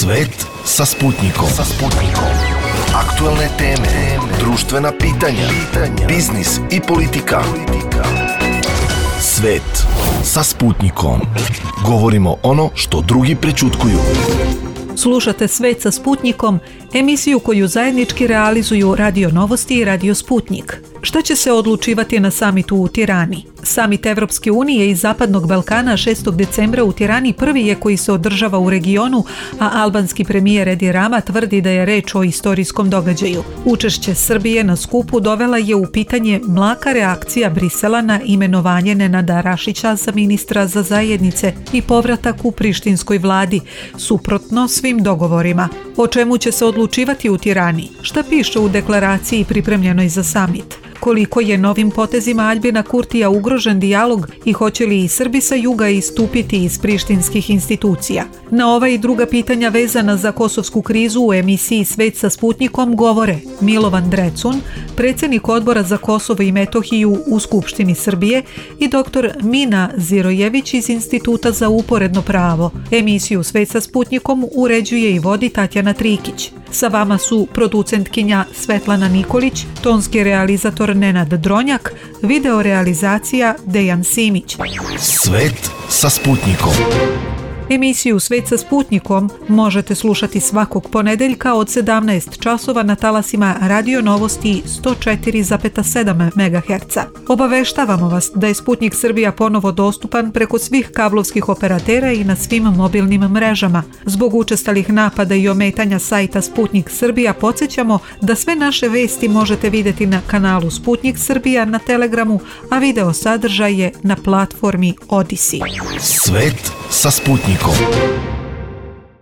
Svet sa Sputnikom. Aktuelne teme, društvena pitanja, biznis i politika. Svet sa Sputnikom. Govorimo ono što drugi prećutkuju. Slušate Svet sa Sputnikom, emisiju koju zajednički realizuju Radio Novosti i Radio Sputnik. Šta će se odlučivati na samitu u Tirani? Samit Evropske unije i Zapadnog Balkana 6. decembra u Tirani prvi je koji se održava u regionu, a albanski premijer Edi Rama tvrdi da je reč o istorijskom događaju. Učešće Srbije na skupu dovela je u pitanje mlaka reakcija Brisela na imenovanje Nenada Rašića za ministra za zajednice i povratak u prištinskoj vladi, suprotno svim dogovorima. O čemu će se odlučivati u Tirani? Šta piše u deklaraciji pripremljenoj za samit? Koliko je novim potezima Aljbina Kurtija ugrožen dijalog i hoće li i Srbi sa juga istupiti iz prištinskih institucija? Na ova i druga pitanja vezana za kosovsku krizu u emisiji Svet sa Sputnikom govore Milovan Drecun, predsjednik Odbora za Kosovo i Metohiju u Skupštini Srbije, i dr. Mina Zirojević iz Instituta za uporedno pravo. Emisiju Svet sa Sputnikom uređuje i vodi Tatjana Trikić. Sa vama su producentkinja Svetlana Nikolić, tonski realizator Nenad Dronjak, video realizacija Dejan Simić. Svet sa Sputnikom. Emisiju Svet sa Sputnikom možete slušati svakog ponedeljka od 17 časova na talasima Radio Novosti 104,7 MHz. Obaveštavamo vas da je Sputnik Srbija ponovo dostupan preko svih kablovskih operatera i na svim mobilnim mrežama. Zbog učestalih napada i ometanja sajta Sputnik Srbija podsjećamo da sve naše vesti možete vidjeti na kanalu Sputnik Srbija na Telegramu, a video sadržaj je na platformi Odisi. Svet sa Sputnikom.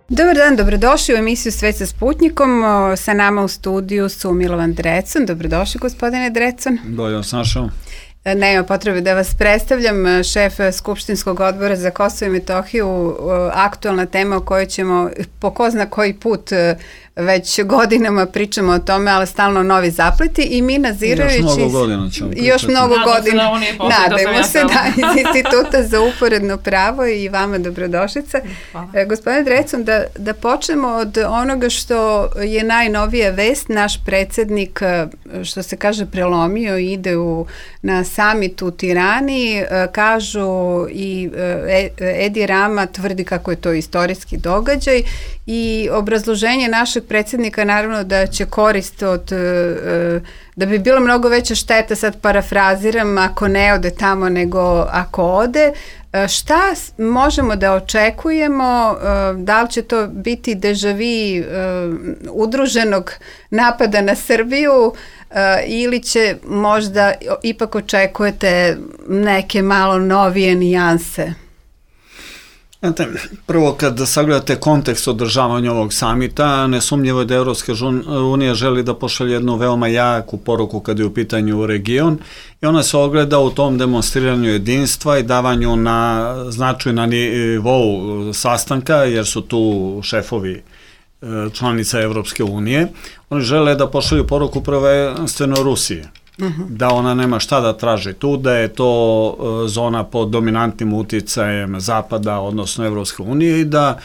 Dobar dan, dobrodošli u emisiju Svet sa Sputnikom. Sa nama u studiju su Milovan Drecun. Dobrodošli, gospodine Drecun. Bolje vas našao. Nema potrebe da vas predstavljam, šef Skupštinskog odbora za Kosovo i Metohiju, aktualna tema o kojoj ćemo po ko zna koji put već godinama pričamo o tome, ali stalno novi zapleti, i Mina Zirović još mnogo godina nadajmo se da iz Instituta za uporedno pravo, i vama dobrodošlica. Gospodine Drecun, da počnemo od onoga što je najnovija vest. Naš predsjednik, što se kaže, prelomio i ide na samit u Tirani. Kažu i Edi Rama tvrdi kako je to istorijski događaj, i obrazloženje našeg predsjednika naravno da će korist da bi bilo mnogo veća šteta, sad parafraziram, ako ne ode tamo nego ako ode. Šta možemo da očekujemo? Da li će to biti deja vu udruženog napada na Srbiju, ili će možda ipak očekujete neke malo novije nijanse? Prvo, kad sagledate kontekst održavanja ovog samita, nesumnjivo je da Evropska unija želi da pošalje jednu veoma jaku poruku kad je u pitanju region, i ona se ogleda u tom demonstriranju jedinstva i davanju na značaju na nivou sastanka, jer su tu šefovi članica Evropske unije. Oni žele da pošalju poruku prvenstveno Rusije. Da ona nema šta da traži tu, da je to zona pod dominantnim uticajem Zapada, odnosno Evropske unije, i da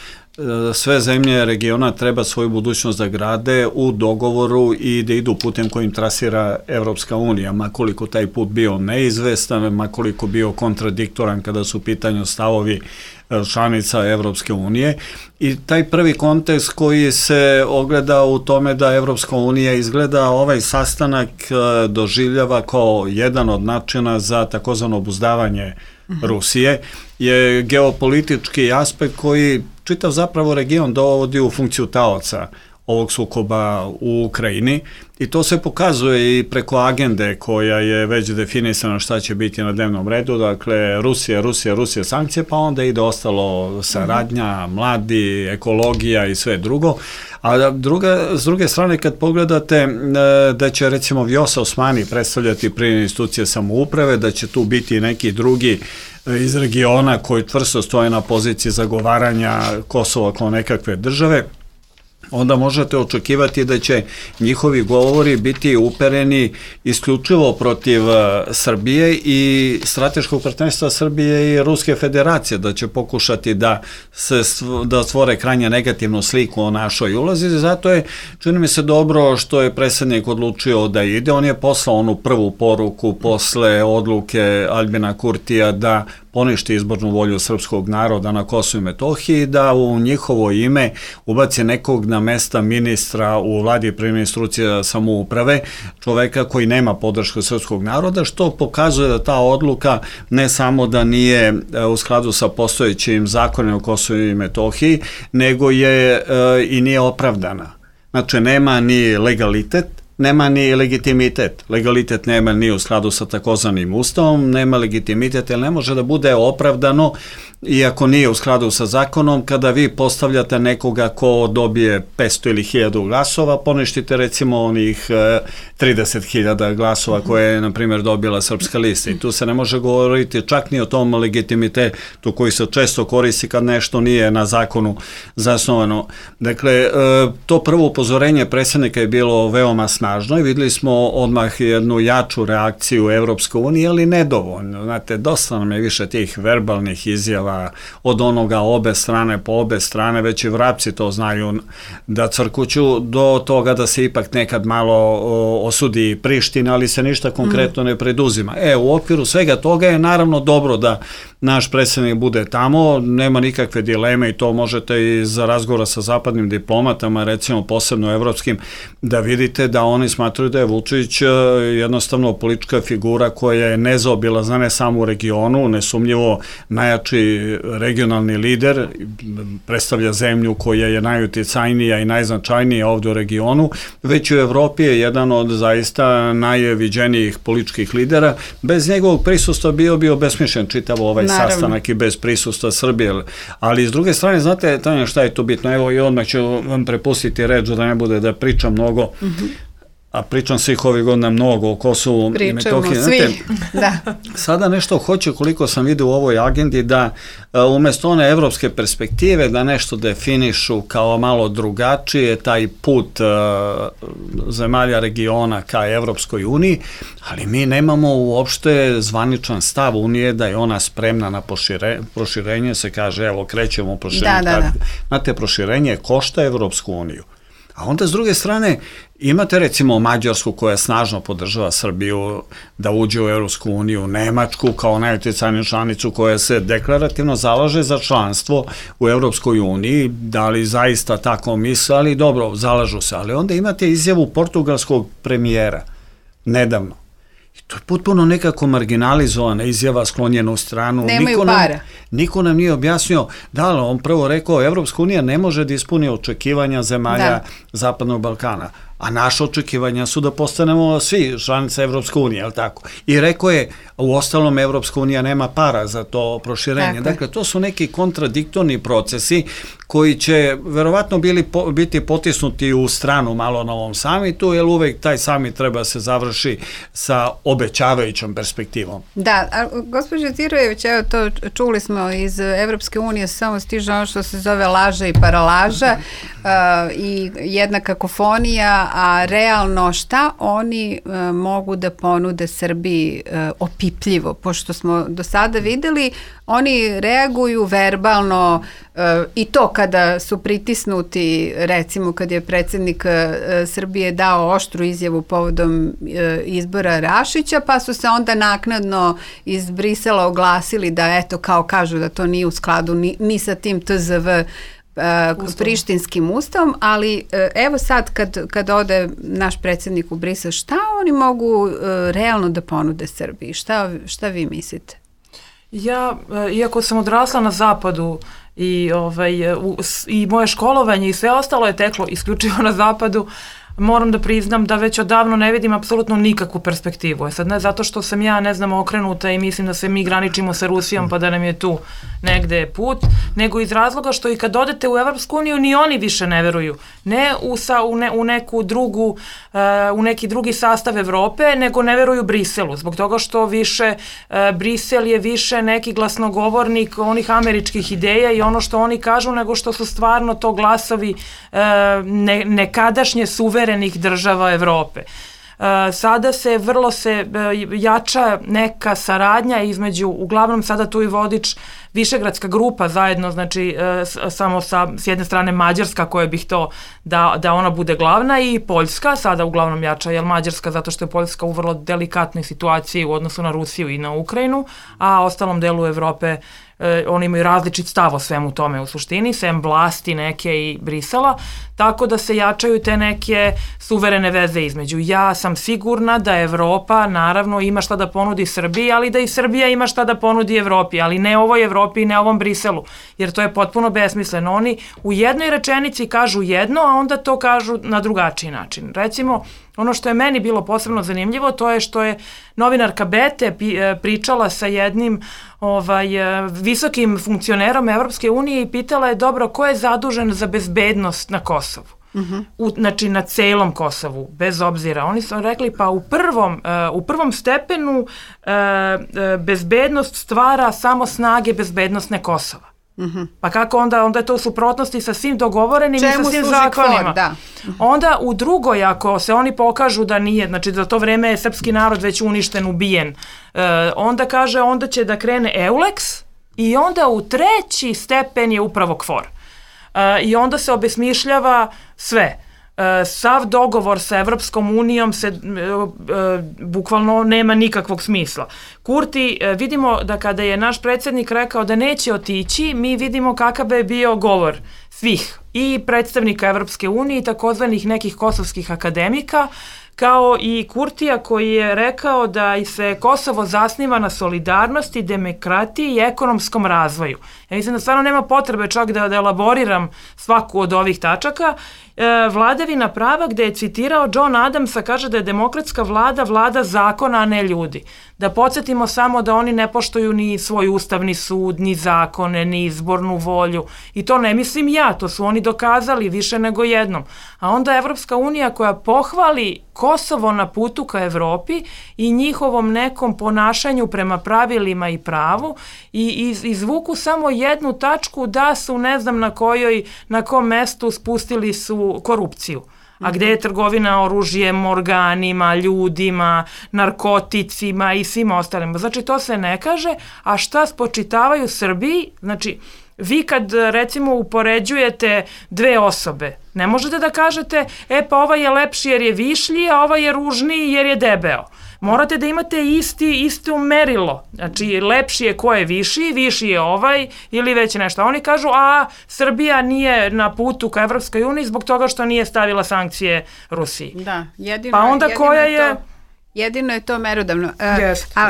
sve zemlje regiona treba svoju budućnost da grade u dogovoru i da idu putem kojim trasira Evropska unija, makoliko taj put bio neizvestan, makoliko bio kontradiktoran kada su u pitanju stavovi članica Evropske unije. I taj prvi kontekst koji se ogleda u tome da Evropska unija izgleda ovaj sastanak doživljava kao jedan od načina za takozvano obuzdavanje Rusije, je geopolitički aspekt koji čitav zapravo region dovodi u funkciju taoca ovog sukoba u Ukrajini, i to se pokazuje i preko agende koja je već definisana šta će biti na dnevnom redu. Dakle, Rusija, sankcije, pa onda ide ostalo saradnja, mladi, ekologija i sve drugo. A s druge strane, kad pogledate da će recimo Vjosa Osmani predstavljati prije institucije samouprave, da će tu biti neki drugi iz regiona koji čvrsto stoje na poziciji zagovaranja Kosova kao nekakve države, onda možete očekivati da će njihovi govori biti upereni isključivo protiv Srbije i strateškog partnerstva Srbije i Ruske federacije, da će pokušati da stvore krajnje negativnu sliku o našoj ulozi. Zato je, čini mi se, dobro što je predsjednik odlučio da ide. On je poslao onu prvu poruku posle odluke Aljbina Kurtija da poništi izbornu volju srpskog naroda na Kosovu i Metohiji, da u njihovo ime ubaci nekog na mesta ministra u vladi primjene instrukcija samouprave, čoveka koji nema podršku srpskog naroda, što pokazuje da ta odluka ne samo da nije u skladu sa postojećim zakonima o Kosovu i Metohiji, nego je i nije opravdana. Znači, nema ni legalitet, nema ni legitimitet. Legalitet nema ni u skladu sa takozvanim ustavom, nema legitimitet, jer ne može da bude opravdano, iako nije u skladu sa zakonom, kada vi postavljate nekoga ko dobije 500 ili 1000 glasova, poništite recimo onih 30.000 glasova koje je, na primjer, dobila Srpska lista. I tu se ne može govoriti čak ni o tom legitimitetu koji se često koristi kad nešto nije na zakonu zasnovano. Dakle, to prvo upozorenje predsjednika je bilo veoma snažno i videli smo odmah jednu jaču reakciju Evropske unije, ali nedovoljno. Znate, dosta nam je više tih verbalnih izjava od onoga obe strane po obe strane, već i vrapci to znaju da crkuću, do toga da se ipak nekad malo osudi Priština, ali se ništa konkretno ne preduzima. U okviru svega toga je naravno dobro da naš predsjednik bude tamo, nema nikakve dileme i to možete iz razgovora sa zapadnim diplomatama, recimo posebno evropskim, da vidite da oni smatruju da je Vučić jednostavno politička figura koja je nezaobilazna ne samo u regionu, nesumnjivo najjači regionalni lider, predstavlja zemlju koja je najuticajnija i najznačajnija ovdje u regionu, već u Evropi je jedan od zaista najviđenijih političkih lidera. Bez njegovog prisustva bio bi obesmišljen čitav ovaj sastanak i bez prisustva Srbije. Ali s druge strane, znate, Tanja, šta je tu bitno? Evo i odmah ću vam prepustiti reč da ne bude da pričam mnogo. A pričam svih ovih godina mnogo o Kosovu i Metohiji. Svi, da. Sada nešto hoće, koliko sam vidio u ovoj agendi, da umjesto one evropske perspektive, da nešto definišu kao malo drugačije, taj put zemalja regiona ka Evropskoj uniji, ali mi nemamo uopšte zvaničan stav Unije da je ona spremna na proširenje, se kaže, evo, krećemo u proširenje. Znate, proširenje košta Evropsku uniju. A onda s druge strane imate recimo Mađarsku koja snažno podržava Srbiju da uđe u Evropsku uniju, Nemačku kao najuticajniju članicu koja se deklarativno zalaže za članstvo u Evropskoj uniji, da li zaista tako misle, ali dobro, zalažu se. Ali onda imate izjavu portugalskog premijera nedavno. I to je potpuno nekako marginalizovana izjava, sklonjena u stranu. Nemaju para. Niko nam nije objasnio, da li on prvo rekao, Evropska unija ne može da ispuni očekivanja zemalja Zapadnog Balkana, a naše očekivanja su da postanemo svi članice Evropske unije, jel tako? I rekao je, u ostalom Evropska unija nema para za to proširenje. Dakle, to su neki kontradiktorni procesi koji će verovatno biti potisnuti u stranu malo na ovom samitu, jer uvek taj samit treba se završi sa obećavajućom perspektivom. Da, a gospođo Tirojević, evo to čuli smo iz Evropske unije, samo stiže ono što se zove laža i paralaža i jedna kakofonija, a realno šta oni mogu da ponude Srbiji opipljivo, pošto smo do sada videli, oni reaguju verbalno i to kada su pritisnuti, recimo kad je predsjednik Srbije dao oštru izjavu povodom izbora Rašića, pa su se onda naknadno iz Brisela oglasili da eto kao kažu da to nije u skladu ni sa tim TZV prištinskim ustavom, ali evo sad kad ode naš predsjednik u Brisel, šta oni mogu realno da ponude Srbiji? Šta vi mislite? Ja, iako sam odrasla na zapadu i moje školovanje i sve ostalo je teklo isključivo na zapadu, moram da priznam da već odavno ne vidim apsolutno nikakvu perspektivu. Sad ne zato što sam ja, ne znam, okrenuta i mislim da se mi graničimo sa Rusijom pa da nam je tu negde put, nego iz razloga što i kad odete u Evropsku uniju ni oni više ne veruju. Ne u neku drugu, u neki drugi sastav Evrope, nego ne veruju Briselu. Zbog toga što više Brisel je više neki glasnogovornik onih američkih ideja i ono što oni kažu, nego što su stvarno to glasovi nekadašnje suverenih država Evrope. Sada se jača neka saradnja između, uglavnom sada tu i vodič Višegradska grupa zajedno, znači samo s jedne strane Mađarska koja bih to da ona bude glavna i Poljska sada uglavnom jača, jer Mađarska zato što je Poljska u vrlo delikatnoj situaciji u odnosu na Rusiju i na Ukrajinu, a ostalom delu Evrope oni imaju različit stav o svemu tome u suštini, sem vlasti neke i Brisela, tako da se jačaju te neke suverene veze između. Ja sam sigurna da Evropa naravno ima šta da ponudi Srbiji, ali da i Srbija ima šta da ponudi Evropi, ali ne ovoj Evropi i ne ovom Briselu, jer to je potpuno besmisleno. Oni u jednoj rečenici kažu jedno, a onda to kažu na drugačiji način. Recimo, ono što je meni bilo posebno zanimljivo, to je što je novinarka Bete pričala sa jednim visokim funkcionerom Evropske unije i pitala je, dobro, ko je zadužen za bezbednost na Kosovu? Znači na celom Kosovu, bez obzira. Oni su rekli, pa u prvom stepenu bezbednost stvara samo snage bezbednostne Kosova. Pa kako onda je to u suprotnosti sa svim dogovorenim i sa svim zakonima. Onda u drugoj, ako se oni pokažu da nije, znači za to vreme je srpski narod već uništen, ubijen, onda kaže, onda će da krene EULEX i onda u treći stepen je upravo KFOR. I onda se obesmišljava sve. Sav dogovor sa Evropskom unijom bukvalno nema nikakvog smisla. Kurti, vidimo da kada je naš predsjednik rekao da neće otići, mi vidimo kakav je bio govor svih i predstavnika Evropske unije i takozvanih nekih kosovskih akademika, kao i Kurtija koji je rekao da se Kosovo zasniva na solidarnosti, demokratiji i ekonomskom razvoju. Ja mislim da stvarno nema potrebe čak da elaboriram svaku od ovih tačaka. Vladavina prava, gde je citirao John Adamsa, kaže da je demokratska vlada zakona, a ne ljudi. Da podsjetimo samo da oni ne poštuju ni svoj ustavni sud, ni zakone, ni izbornu volju. I to ne mislim ja, to su oni dokazali više nego jednom. A onda Evropska unija koja pohvali Kosovo na putu ka Evropi i njihovom nekom ponašanju prema pravilima i pravu i izvuku samo jednu tačku da su, ne znam na kom mestu spustili su korupciju. A gde je trgovina oružjem, organima, ljudima, narkoticima i svim ostalim. Znači to se ne kaže, a šta spočitavaju Srbiji, znači vi kad recimo upoređujete dve osobe, ne možete da kažete, pa ovaj je lepši jer je višlji, a ovaj je ružniji jer je debeo. Morate da imate isto merilo. Znači, lepši je ko je viši je ovaj ili već nešto. Oni kažu, a Srbija nije na putu ka Evropskoj uniji zbog toga što nije stavila sankcije Rusiji. Da, jedino je to merodavno.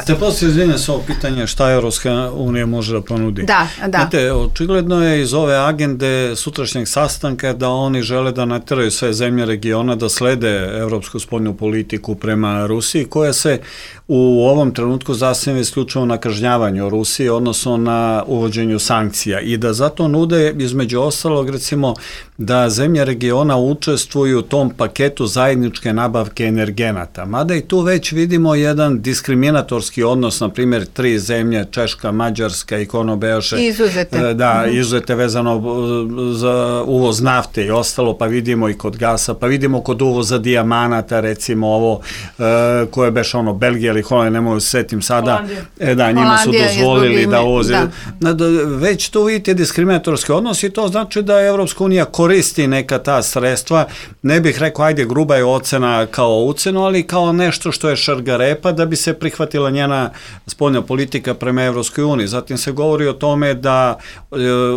Te poslije izvinja sa ovo pitanje šta Evropska unija može da ponudi. Da. Znate, očigledno je iz ove agende sutrašnjeg sastanka da oni žele da nateraju sve zemlje regiona da slede evropsku spoljnu politiku prema Rusiji, koja se u ovom trenutku zasniva isključivo na kažnjavanju Rusije, odnosno na uvođenju sankcija i da zato nude između ostalog recimo da zemlje regiona učestvuju u tom paketu zajedničke nabavke energenata. Mada i tu već vidimo jedan diskriminatorski odnos, na primjer 3 zemlje, Češka, Mađarska i Kono bejaše. Izuzete. Da, izuzete vezano za uvoz nafte i ostalo, pa vidimo i kod gasa, pa vidimo kod uvoza dijamanata, recimo ovo koje beše Belgija ili Holandija, ne mogu se setim sada, njima su dozvolili da uvoze. Već tu vidite diskriminatorski odnos i to znači da Evropska unija koristi neka ta sredstva, ne bih rekao, ajde, gruba je ocena kao ucenu, ali kao nešto što je šargarepa da bi se prihvatila njena spoljna politika prema Evropskoj uniji. Zatim se govori o tome da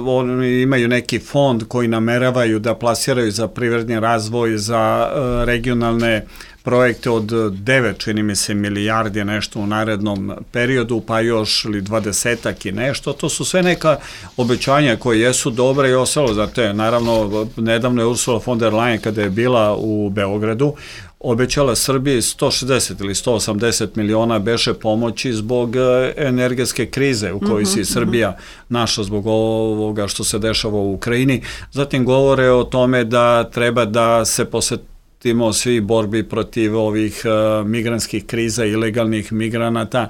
oni imaju neki fond koji nameravaju da plasiraju za privredni razvoj, za regionalne projekte od 9, čini mi se, milijardi nešto u narednom periodu, pa još ili 20-ak i nešto. To su sve neka obećanja koje jesu dobre i ostalo. Znate, naravno, nedavno je Ursula von der Leyen kada je bila u Beogradu, obećala Srbiji 160 ili 180 miliona beše pomoći zbog energetske krize u kojoj se Srbija našla zbog ovoga što se dešava u Ukrajini. Zatim govore o tome da treba da se posvetimo svi borbi protiv ovih migrantskih kriza, ilegalnih migranata.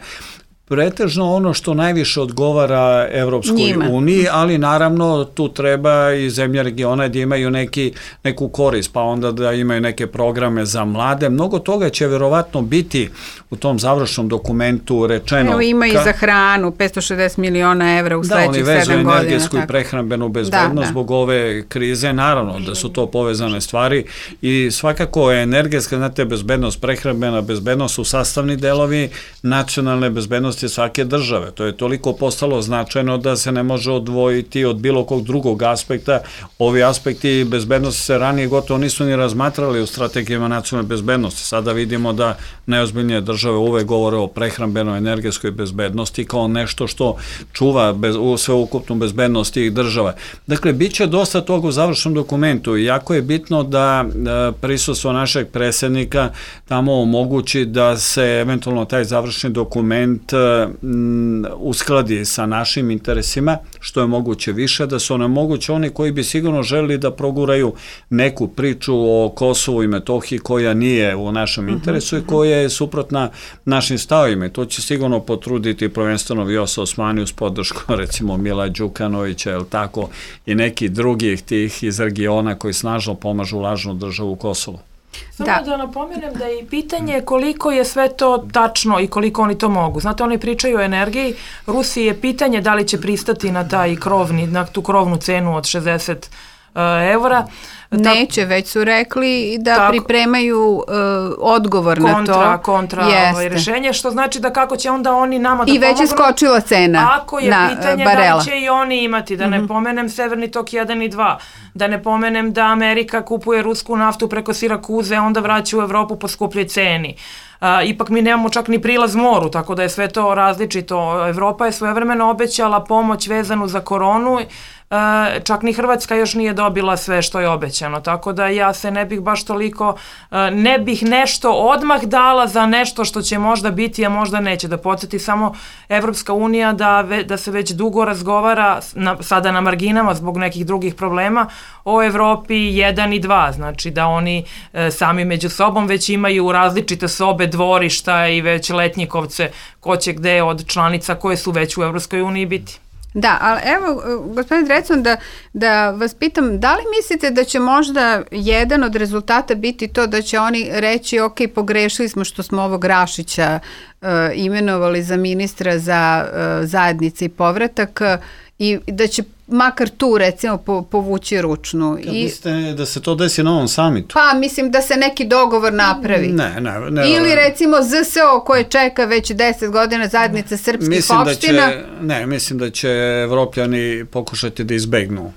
Pretežno ono što najviše odgovara Evropskoj uniji, ali naravno tu treba i zemlje regiona da imaju neku korist, pa onda da imaju neke programe za mlade. Mnogo toga će verovatno biti u tom završnom dokumentu rečeno. Evo ima i za hranu, 560 miliona evra u sledećih 7 godina. Da, oni vezu energetsku i prehrambenu bezbednost zbog ove krize, naravno da su to povezane stvari i svakako je energetska, znate, bezbednost, prehrambena bezbednost su sastavni delovi nacionalne bezbednosti svake države. To je toliko postalo značajno da se ne može odvojiti od bilo kog drugog aspekta. Ovi aspekti bezbednosti se ranije gotovo nisu ni razmatrali u strategijama nacionalne bezbednosti. Sada vidimo da najozbiljnije države uvek govore o prehrambenoj energetskoj bezbednosti kao nešto što čuva sveukupnu bezbednost tih država. Dakle, bit će dosta toga u završnom dokumentu i jako je bitno da prisustvo našeg predsjednika tamo omogući da se eventualno taj završni dokument uskladi sa našim interesima, što je moguće više, da su onemoguće oni koji bi sigurno želeli da proguraju neku priču o Kosovu i Metohiji koja nije u našem interesu i koja je suprotna našim stavovima. To će sigurno potruditi prvenstveno Vjosa Osmani uz podršku recimo Mila Đukanovića, jel tako, i neki drugih tih iz regiona koji snažno pomažu lažnu državu Kosovo. Samo da napomenem da je i pitanje koliko je sve to tačno i koliko oni to mogu. Znate, oni pričaju o energiji, Rusiji je pitanje da li će pristati na na tu krovnu cenu od 60 evra. Neće, već su rekli da pripremaju odgovor na to. Kontra rešenje, što znači da kako će onda oni nama da pomognu. I već je skočila cena ako je pitanje barela. Da će i oni imati, da ne pomenem Severni tok 1 i 2, da ne pomenem da Amerika kupuje rusku naftu preko Sirakuze, onda vraća u Evropu po skupljoj ceni. Ipak mi nemamo čak ni prilaz moru, tako da je sve to različito. Evropa je svojevremeno obećala pomoć vezanu za koronu, čak ni Hrvatska još nije dobila sve što je obećano, tako da ja se ne bih baš toliko, ne bih nešto odmah dala za nešto što će možda biti, a možda neće. Da podsjeti samo Evropska unija da se već dugo razgovara, sada na marginama zbog nekih drugih problema, o Evropi 1 i 2, znači da oni sami među sobom već imaju različite sobe, dvorišta i već letnjikovce, ko će gde od članica koje su već u Evropskoj uniji biti. Da, ali evo, gospodin Drecun, da vas pitam, da li mislite da će možda jedan od rezultata biti to da će oni reći ok, pogrešili smo što smo ovog Rašića imenovali za ministra za zajednice i povratak i da će makar tu recimo povući ručnu. Mislite da se to desi na ovom samitu? Pa mislim da se neki dogovor napravi. Ne. Ili recimo ZSO koje čeka već 10 godina zajednica srpskih opština. Mislim da će Evropljani pokušati da izbegnu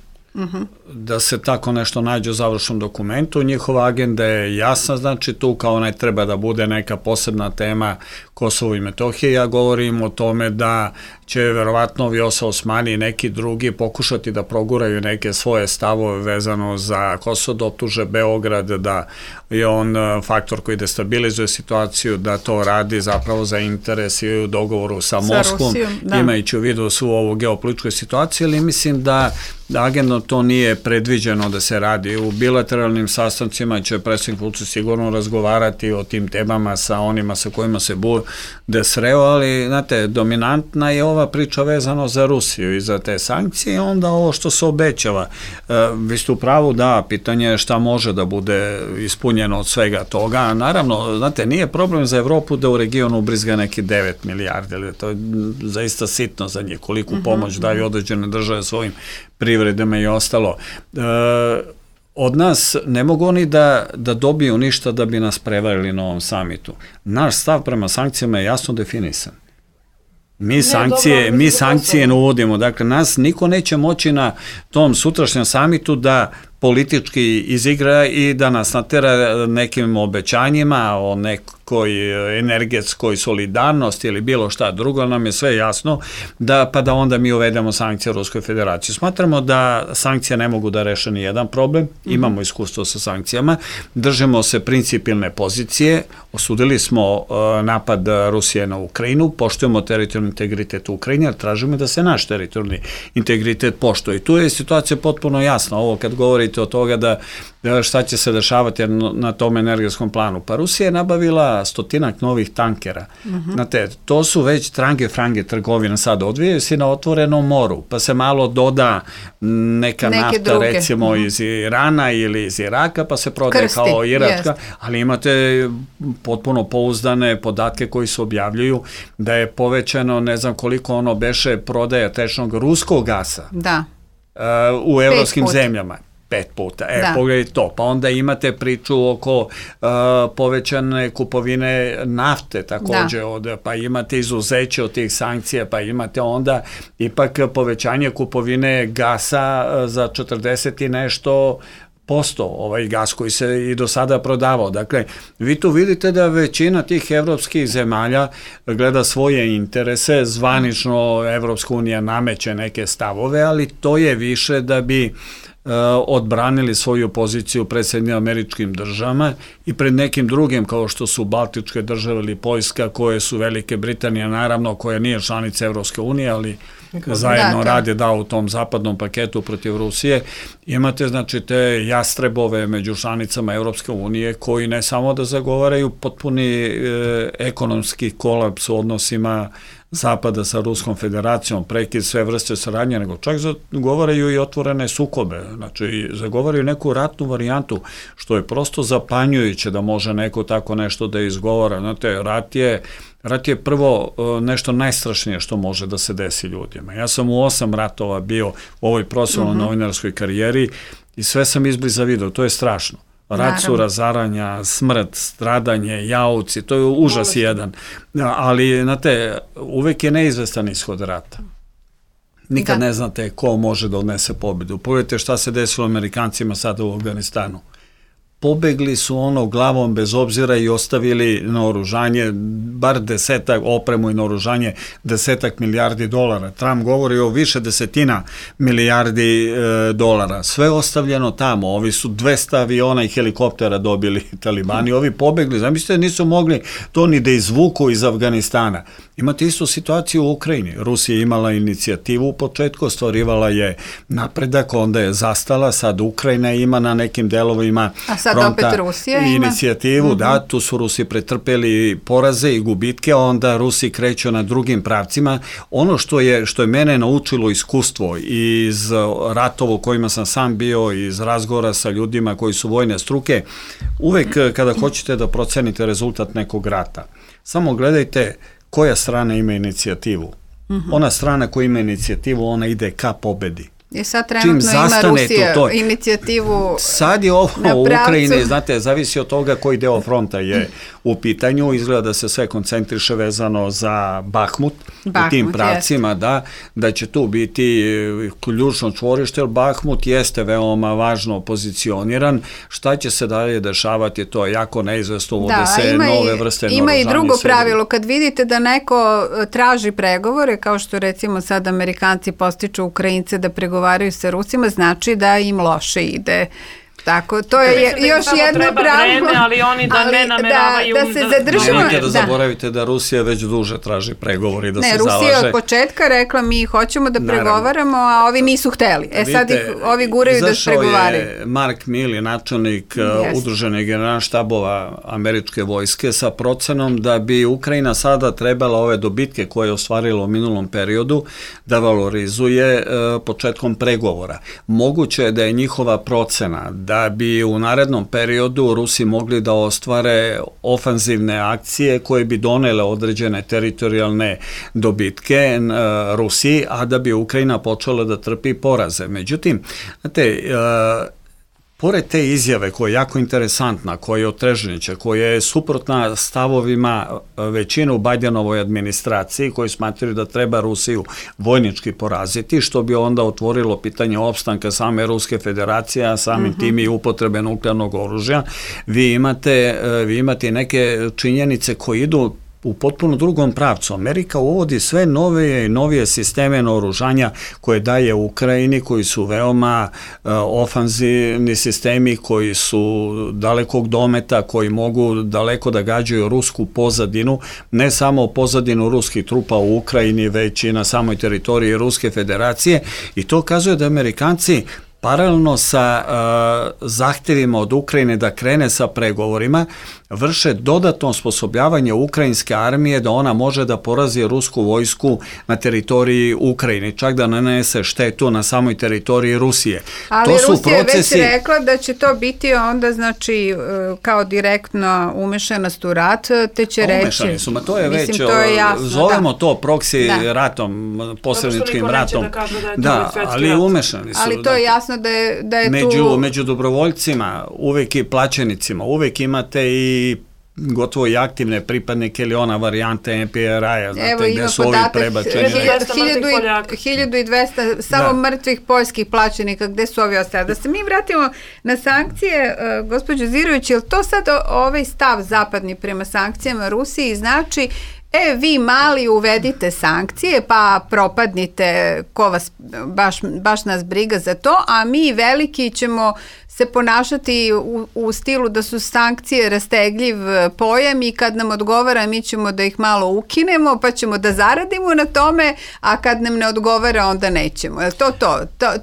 da se tako nešto nađe u završnom dokumentu. Njihova agenda je jasna, znači tu kao ne treba da bude neka posebna tema Kosovo i Metohije. Ja govorim o tome da će verovatno Vjosa Osmani i neki drugi pokušati da proguraju neke svoje stavove vezano za Kosovo, da optuže Beograd, da je on faktor koji destabilizuje situaciju, da to radi zapravo za interes i u dogovoru sa Moskvom, imajući u vidu svu ovu geopolitičku situaciju, ali mislim da agendno to nije predviđeno da se radi. U bilateralnim sastancima će predsjednik Vučić sigurno razgovarati o tim temama sa onima sa kojima se bude sreo, ali znate, dominantna je ova priča vezano za Rusiju i za te sankcije, onda ovo što se obećava. Vi ste u pravu, da, pitanje je šta može da bude ispunjeno od svega toga. Naravno, znate, nije problem za Evropu da u regionu ubrizga neki 9 milijardi, ali to je zaista sitno za njih, koliku pomoć daju određene države svojim privredama i ostalo. Od nas ne mogu oni da dobiju ništa da bi nas prevarili na ovom samitu. Naš stav prema sankcijama je jasno definisan. Mi sankcije ne uvodimo, dakle nas niko neće moći na tom sutrašnjem samitu da politički izigra i da nas natera nekim obećanjima o nekoj energetskoj solidarnosti ili bilo šta drugo, nam je sve jasno da onda mi uvedemo sankcije Ruskoj federaciji. Smatramo da sankcije ne mogu da reše ni jedan problem, imamo iskustvo sa sankcijama, držimo se principijelne pozicije, osudili smo napad Rusije na Ukrajinu, poštujemo teritorijalni integritet u Ukrajini, ali tražimo da se naš teritorijalni integritet poštuje. I tu je situacija potpuno jasna, ovo kad govorite od toga da šta će se dešavati na tom energetskom planu. Pa Rusija je nabavila 100 novih tankera. Znate, to su već frange trgovine sad, odvijaju se na otvorenom moru, pa se malo doda neka nafta druge. Recimo iz Irana ili iz Iraka, pa se prodaje kao iračka, ali imate potpuno pouzdane podatke koji se objavljuju da je povećano, ne znam koliko ono beše prodaja tečnog ruskog gasa u evropskim zemljama. 5 puta. Pogledajte to. Pa onda imate priču oko povećane kupovine nafte takođe, pa imate izuzeće od tih sankcija, pa imate onda ipak povećanje kupovine gasa za 40 i nešto posto, ovaj gas koji se i do sada prodavao. Dakle, vi tu vidite da većina tih evropskih zemalja gleda svoje interese, zvanično Evropska unija nameće neke stavove, ali to je više da bi odbranili svoju poziciju pred Sjedinjenim Američkim Državama i pred nekim drugim kao što su Baltičke države ili Poljska, koje su Velike Britanije, naravno, koja nije članica Evropske unije, ali zajedno rade u tom zapadnom paketu protiv Rusije. Imate znači te jastrebove među članicama Evropske unije koji ne samo da zagovaraju potpuni ekonomski kolaps u odnosima Zapada sa Ruskom federacijom, prekid sve vrste saradnje, nego čak zagovaraju i otvorene sukobe, znači zagovaraju neku ratnu varijantu, što je prosto zapanjujuće da može neko tako nešto da izgovara. Znate, rat je prvo nešto najstrašnije što može da se desi ljudima. Ja sam u 8 ratova bio u ovoj profesionalnoj novinarskoj karijeri i sve sam izbliza video, to je strašno. Rat su razaranja, smrt, stradanje, jauci, to je užas jedan. Ali, znate, uvek je neizvestan ishod rata. Nikad ne znate ko može da odnese pobedu. Pogledajte šta se desilo Amerikancima sada u Afganistanu. Pobegli su ono glavom bez obzira i ostavili naoružanje, bar opremu i naoružanje, $10 milijardi. Trump govori o više desetina milijardi dolara. Sve ostavljeno tamo. Ovi su 200 aviona i helikoptera dobili talibani. Ovi pobegli. Zamislite, nisu mogli to ni da izvuku iz Afganistana. Imate istu situaciju u Ukrajini. Rusija imala inicijativu u početku, stvarivala je napredak, onda je zastala, sad Ukrajina ima na nekim delovima fronta inicijativu, tu su Rusi pretrpeli poraze i gubitke, onda Rusi kreću na drugim pravcima. Ono što je mene naučilo iskustvo iz ratova u kojima sam sam bio, iz razgovora sa ljudima koji su vojne struke, uvek kada hoćete da procenite rezultat nekog rata, samo gledajte koja strana ima inicijativu. Ona strana koja ima inicijativu, ona ide ka pobedi. I sad trenutno ima Rusija inicijativu. Sad je ovo u Ukrajini, znate, zavisi od toga koji deo fronta je u pitanju, izgleda da se sve koncentriše vezano za Bahmut, u tim pravcima, da će tu biti ključno čvorište, jer Bahmut jeste veoma važno pozicioniran. Šta će se dalje dešavati, to je jako neizvesno, uvode se nove vrste naoružanja. Ima i drugo pravilo, kad vidite da neko traži pregovore, kao što recimo sad Amerikanci postiču Ukrajince da pregovaraju sa Rusima, znači da im loše ide. Tako, to je još jedno pravilo. Ali oni da ne nameravaju... Da se zadržimo... Nemojte da zaboravite da Rusija već duže traži pregovori, da se zalaže. Ne, Rusija od početka rekla mi hoćemo da pregovaramo, a ovi nisu hteli. Sad ih ovi guraju da pregovaraju. Izašao je Mark Milley, načelnik Udruženih generalštabova američke vojske, sa procenom da bi Ukrajina sada trebala ove dobitke koje je ostvarila u minulom periodu da valorizuje početkom pregovora. Moguće je da je njihova procena da bi u narednom periodu Rusi mogli da ostvare ofanzivne akcije koje bi donele određene teritorijalne dobitke Rusiji, a da bi Ukrajina počela da trpi poraze. Međutim, znate, pored te izjave koja je jako interesantna, koja je otrežnjeća, koja je suprotna stavovima većine u Bajdenovoj administraciji, koji smatraju da treba Rusiju vojnički poraziti, što bi onda otvorilo pitanje opstanka same Ruske federacije, a samim tim i upotrebe nuklearnog oružja, vi imate neke činjenice koje idu u potpuno drugom pravcu. Amerika uvodi sve nove i novije sisteme naoružanja koje daje Ukrajini, koji su veoma ofanzivni sistemi, koji su dalekog dometa, koji mogu daleko da gađaju rusku pozadinu, ne samo pozadinu ruskih trupa u Ukrajini, već i na samoj teritoriji Ruske federacije, i to kazuje da Amerikanci paralelno sa zahtjevima od Ukrajine da krene sa pregovorima, vrše dodatno osposobljavanje ukrajinske armije da ona može da porazi rusku vojsku na teritoriji Ukrajine, čak da nanese štetu na samoj teritoriji Rusije. Ali Rusija je već rekla da će to biti onda, znači, kao direktno umešanost u rat, te će reći... Umešani su, to je već, zovemo to proksi ratom, posredničkim ratom. Da, ali umešani su. Ali to je jasno da je tu... Među dobrovoljcima, uvek i plaćenicima, uvek imate i gotovo i aktivne pripadnike ili ona varijante NPR-a, znate, gde su ovi prebačeni. 1200 samo mrtvih poljskih plaćenika, gde su ovi ostali. Da se mi vratimo na sankcije, gospođo Zirović, je li to sad ovaj stav zapadni prema sankcijama Rusiji znači vi mali uvedite sankcije pa propadnite, ko vas, baš nas briga za to, a mi veliki ćemo se ponašati u stilu da su sankcije rastegljiv pojam i kad nam odgovara mi ćemo da ih malo ukinemo pa ćemo da zaradimo na tome, a kad nam ne odgovara onda nećemo.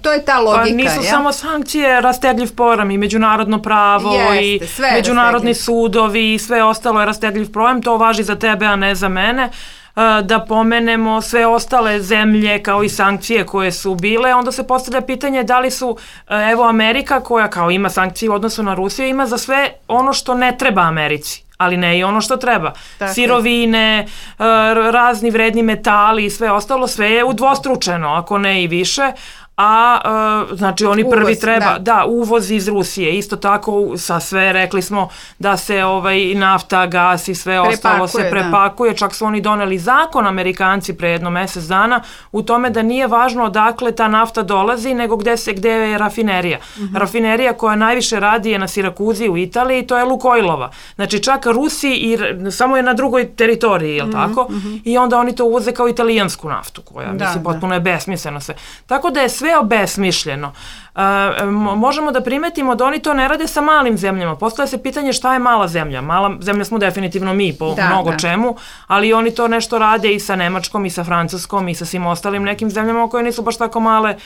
To je ta logika. Pa nisu samo sankcije rastegljiv pojam, i međunarodno pravo i međunarodni sudovi i sve ostalo je rastegljiv pojam, to važi za tebe, a ne za mene. Da pomenemo sve ostale zemlje kao i sankcije koje su bile, onda se postavlja pitanje da li su, evo Amerika koja kao ima sankcije u odnosu na Rusiju, ima za sve ono što ne treba Americi, ali ne i ono što treba. Tako. Sirovine, razni vredni metali i sve ostalo, sve je udvostručeno, ako ne i više, a znači oni prvi treba, uvoz iz Rusije, isto tako sa sve, rekli smo da se nafta, gas i sve ostalo se prepakuje, čak su oni doneli zakon, Amerikanci, pre jedno mesec dana, u tome da nije važno odakle ta nafta dolazi, nego gde je rafinerija. Rafinerija koja najviše radi je na Sirakuzi u Italiji, to je Lukoilova. Znači čak Rusi samo je na drugoj teritoriji, jel tako? I onda oni to uvoze kao italijansku naftu, koja mislim potpuno je besmisleno sve. Tako da je sve obesmišljeno. Možemo da primetimo da oni to ne rade sa malim zemljama. Postavlja se pitanje šta je mala zemlja. Mala zemlja smo definitivno mi po mnogo čemu, ali oni to nešto rade i sa Nemačkom i sa Francuskom i sa svim ostalim nekim zemljama koje nisu baš tako male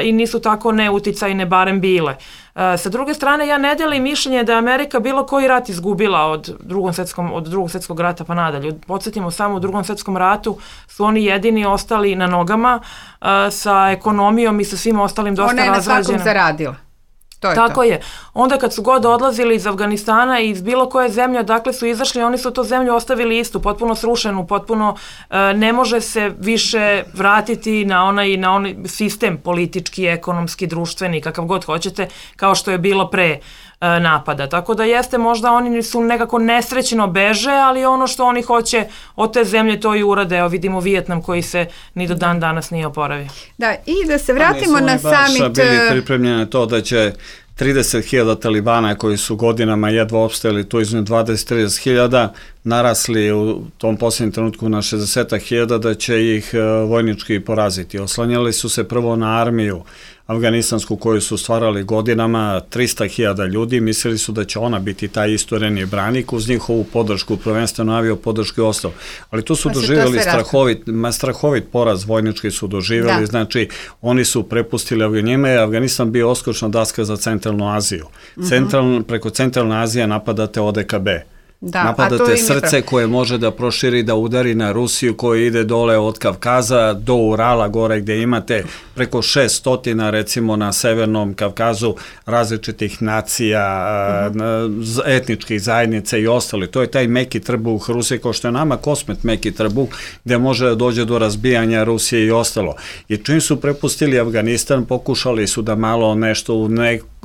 i nisu tako neuticajne, barem bile. Sa druge strane, ja ne delim mišljenje da je Amerika bilo koji rat izgubila od drugog svjetskog rata pa nadalje. Podsjetimo samo, u drugom svjetskom ratu su oni jedini ostali na nogama sa ekonomijom i sa svim ostalim dosta razrađenim. Ona je na svakom zaradila. Tako je. Onda kad su god odlazili iz Afganistana i iz bilo koje zemlje, odakle su izašli, oni su to zemlju ostavili istu, potpuno srušenu, potpuno ne može se više vratiti na onaj sistem politički, ekonomski, društveni, kakav god hoćete, kao što je bilo pre napada. Tako da jeste, možda oni su nekako nesrećno beže, ali ono što oni hoće od te zemlje to i urade. Evo vidimo Vijetnam koji se ni do dan danas nije oporavio. Da, i da se vratimo na summit. Nisu oni baš bili pripremljeni to da će 30.000 talibana koji su godinama jedva opstajali tu između 20-30.000 narasli u tom posljednjem trenutku na 60.000 da će ih vojnički poraziti. Oslanjali su se prvo na armiju afganistansku koju su stvarali godinama, 300.000 ljudi, mislili su da će ona biti taj istoreni branik uz njihovu podršku, prvenstveno avio podršku i ostalo. Ali tu su doživjeli strahovit poraz, vojnički su doživjeli, znači oni su prepustili, njima je Afganistan bio oskočna daska za centralnu Aziju. Preko centralne Azije napadate ODKB. Napadate srce koje može da proširi, da udari na Rusiju koja ide dole od Kavkaza do Urala gore gdje imate preko 600 recimo na Severnom Kavkazu različitih nacija, etničkih zajednica i ostali. To je taj meki trbuh Rusije, kao što je nama Kosmet meki trbuh, gdje može da dođe do razbijanja Rusije i ostalo. I čim su prepustili Afganistan, pokušali su da malo nešto u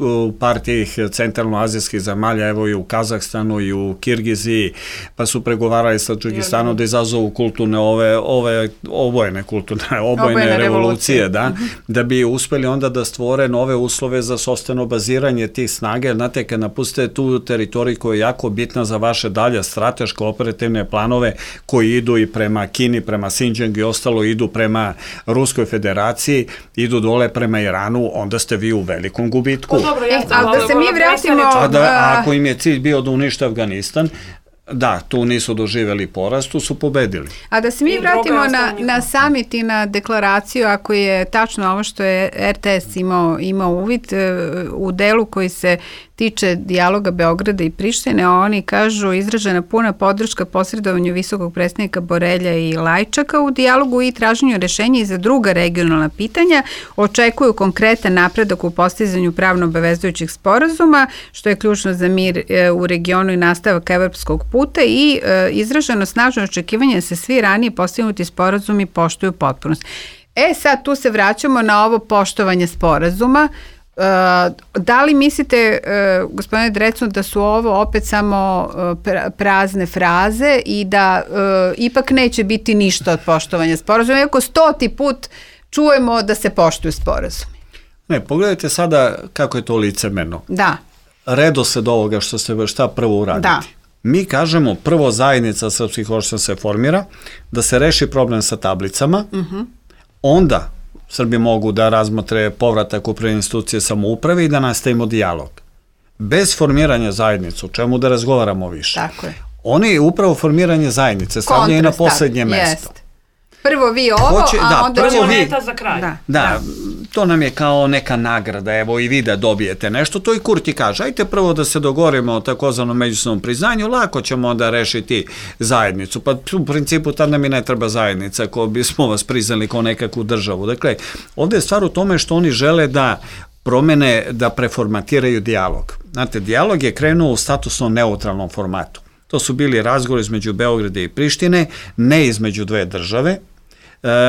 u par tih centralnoazijskih zemalja, evo i u Kazahstanu i u Kirgiziji, pa su pregovarali sa Tadžikistanom da izazovu kulturne obojene revolucije, da bi uspeli onda da stvore nove uslove za sopstveno baziranje tih snage. Znate, kad napustite tu teritoriju koja je jako bitna za vaše dalje strateške operativne planove koji idu i prema Kini, prema Xinjiang i ostalo, idu prema Ruskoj federaciji, idu dole prema Iranu, onda ste vi u velikom gubitku. Ali da se mi vratimo... Ako im je cilj bio da unište Afganistan, da, tu nisu doživjeli porast, tu su pobedili. A da se mi vratimo na summit i na deklaraciju, ako je tačno ovo što je RTS imao uvid u delu koji se tiče dijaloga Beograda i Prištine, oni kažu izražena puna podrška posredovanju visokog predstavnika Borelja i Lajčaka u dijalogu i traženju rešenja i za druga regionalna pitanja, očekuju konkretan napredak u postizanju pravno obavezujućih sporazuma, što je ključno za mir u regionu i nastavak evropskog puta, i izraženo snažno očekivanje da se svi ranije postignuti sporazumi poštuju potpunost. Sad tu se vraćamo na ovo poštovanje sporazuma. Da li mislite, gospodine Drecun, da su ovo opet samo prazne fraze i da ipak neće biti ništa od poštovanja sporazuma, iako 100. put čujemo da se poštuju sporazumi? Ne, pogledajte sada kako je to licemerno. Da. Redosled ovoga što ste šta prvo uraditi. Da. Mi kažemo prvo zajednica srpskih opština se formira, da se reši problem sa tablicama, onda Srbi mogu da razmotre povratak u prve institucije samouprave i da nastavimo dijalog. Bez formiranja zajednice, o čemu da razgovaramo više. Tako je. Oni upravo formiranje zajednice stavljaju na poslednje mesto. Prvo vi ovo, a onda prvo moneta za kraj. Da, to nam je kao neka nagrada, evo i vi da dobijete nešto, to i Kurti kaže, ajte prvo da se dogovorimo o takozvanom međusobnom priznanju, lako ćemo onda rešiti zajednicu, pa u principu tad nam i ne treba zajednica, ko bismo vas priznali kao nekakvu državu. Dakle, ovde je stvar u tome što oni žele da promene, da preformatiraju dijalog. Znate, dijalog je krenuo u statusno neutralnom formatu. To su bili razgovori između Beograda i Prištine, ne između dve države,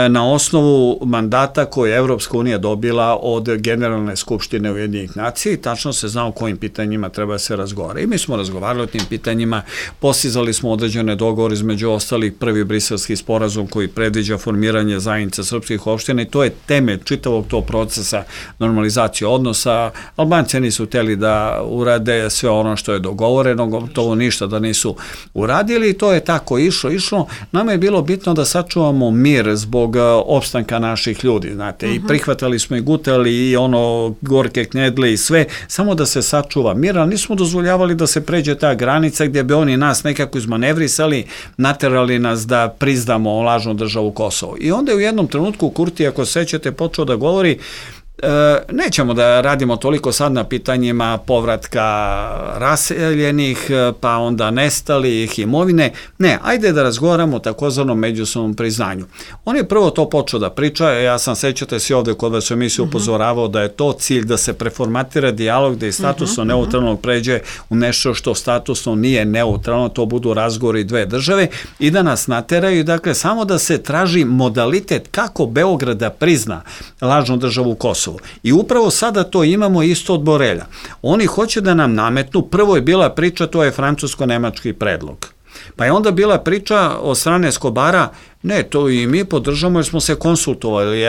na osnovu mandata koje je Evropska unija dobila od Generalne skupštine Ujedinjenih nacija i tačno se zna o kojim pitanjima treba se razgovara. I mi smo razgovarali o tim pitanjima, postizali smo određene dogovore, između ostalih prvi briselski sporazum koji predviđa formiranje zajednice srpskih opština i to je temelj čitavog tog procesa normalizacije odnosa. Albanci nisu hteli da urade sve ono što je dogovoreno, gotovo ništa da nisu uradili i to je tako išlo. Nama je bilo bitno da sačuvamo mir zbog opstanka naših ljudi, znate, i prihvatali smo i gutali i ono gorke knedle i sve, samo da se sačuva mir, ali nismo dozvoljavali da se pređe ta granica gdje bi oni nas nekako izmanevrisali, naterali nas da priznamo lažnu državu Kosovo. I onda je u jednom trenutku Kurti, ako se sećate, počeo da govori nećemo da radimo toliko sad na pitanjima povratka raseljenih, pa onda nestalih imovine. Ne, ajde da razgovaramo o takozvanom međusobnom priznanju. On je prvo to počeo da priča, ja sam, sećate se ovde kod vas u emisiju upozoravao da je to cilj da se preformatira dijalog, da je statusno neutralnog pređe u nešto što statusno nije neutralno, to budu razgovori dve države i da nas nateraju, dakle, samo da se traži modalitet kako Beograd da prizna lažnu državu Kosovo. I upravo sada to imamo isto od Borelja. Oni hoće da nam nametnu, prvo je bila priča, to je francusko-nemački predlog. Pa je onda bila priča od strane Skobara, ne, to i mi podržamo jer smo se konsultovali.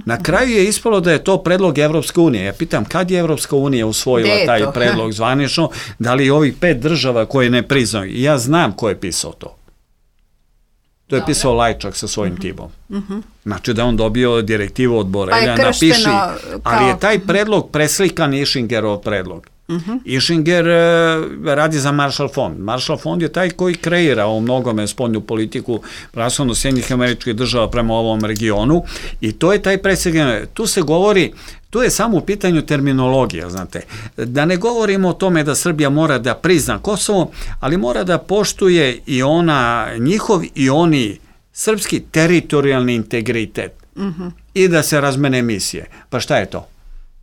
Na kraju je ispalo da je to predlog Evropske unije. Ja pitam, kad je Evropska unija usvojila taj predlog zvanično, da li ovih 5 država koje ne priznaju? I ja znam ko je pisao to. To je pisao Lajčak sa svojim timom. Znači da on dobio direktivu od Borelja, napiši, ali je taj predlog preslikan Ishingerov predlog. Ishinger radi za Marshall fond. Marshall fond je taj koji kreira u mnogome spoljnu politiku praslovno Sjedinjenih Američkih Država prema ovom regionu i to je taj preslikan. Tu se govori, tu je samo u pitanju terminologija, znate. Da ne govorimo o tome da Srbija mora da prizna Kosovo, ali mora da poštuje i ona njihov i oni srpski teritorijalni integritet i da se razmene misije. Pa šta je to?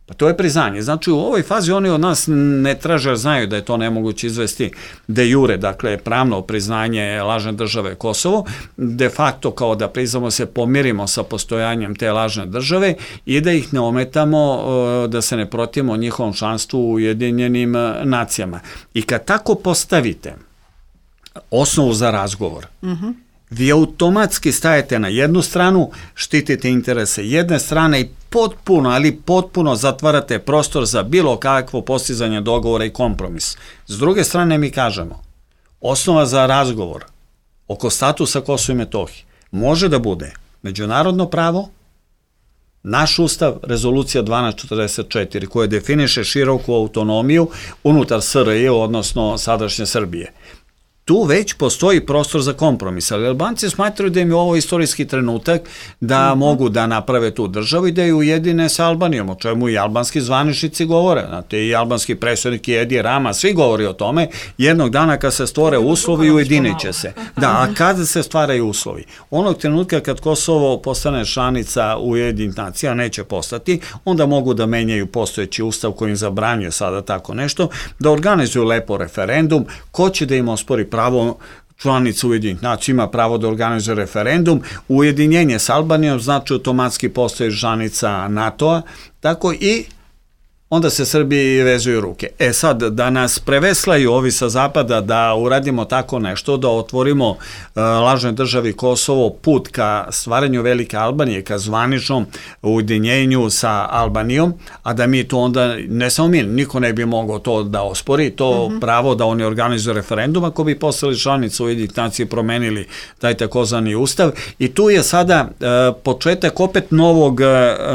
Pa to je priznanje. Znači u ovoj fazi oni od nas ne traže, jer znaju da je to nemoguće izvesti de jure, dakle pravno priznanje lažne države Kosovo, de facto kao da priznamo se pomirimo sa postojanjem te lažne države i da ih ne ometamo, da se ne protivimo njihovom članstvu u Ujedinjenim nacijama. I kad tako postavite osnovu za razgovor, vi automatski stajete na jednu stranu, štitite interese jedne strane i potpuno zatvarate prostor za bilo kakvo postizanje dogovora i kompromis. S druge strane mi kažemo, osnova za razgovor oko statusa Kosova i Metohije može da bude međunarodno pravo, naš ustav, rezolucija 1244, koja definiše široku autonomiju unutar SRJ, odnosno sadašnje Srbije. Tu već postoji prostor za kompromis, ali Albanci smatraju da im je ovo istorijski trenutak da mogu da naprave tu državu i da je ujedine sa Albanijom, o čemu i albanski zvaničnici govore. Znate, i albanski predsjednik Edi Rama, svi govori o tome, jednog dana kad se stvore uslovi, ujedinit će se. Da, a kada se stvaraju uslovi? Onog trenutka kad Kosovo postane članica Ujedinjenih nacija, neće postati, onda mogu da menjaju postojeći ustav koji im zabranjuje sada tako nešto, da organizuju lepo referendum, ko će da im ospori pravo članica Ujedinjenih nacija, ima pravo da organizuje referendum, ujedinjenje s Albanijom znači automatski postoji članica NATO-a, tako i onda se Srbiji vezuju ruke. Sad, da nas preveslaju ovi sa zapada, da uradimo tako nešto, da otvorimo lažnoj državi Kosovo put ka stvaranju velike Albanije, ka zvaničnom ujedinjenju sa Albanijom, a da mi to onda, ne samo mi, niko ne bi mogao to da ospori, to pravo da oni organizuju referendum, ako bi postali članice Ujedinjenih nacija i promenili taj takozvani ustav. I tu je sada početak opet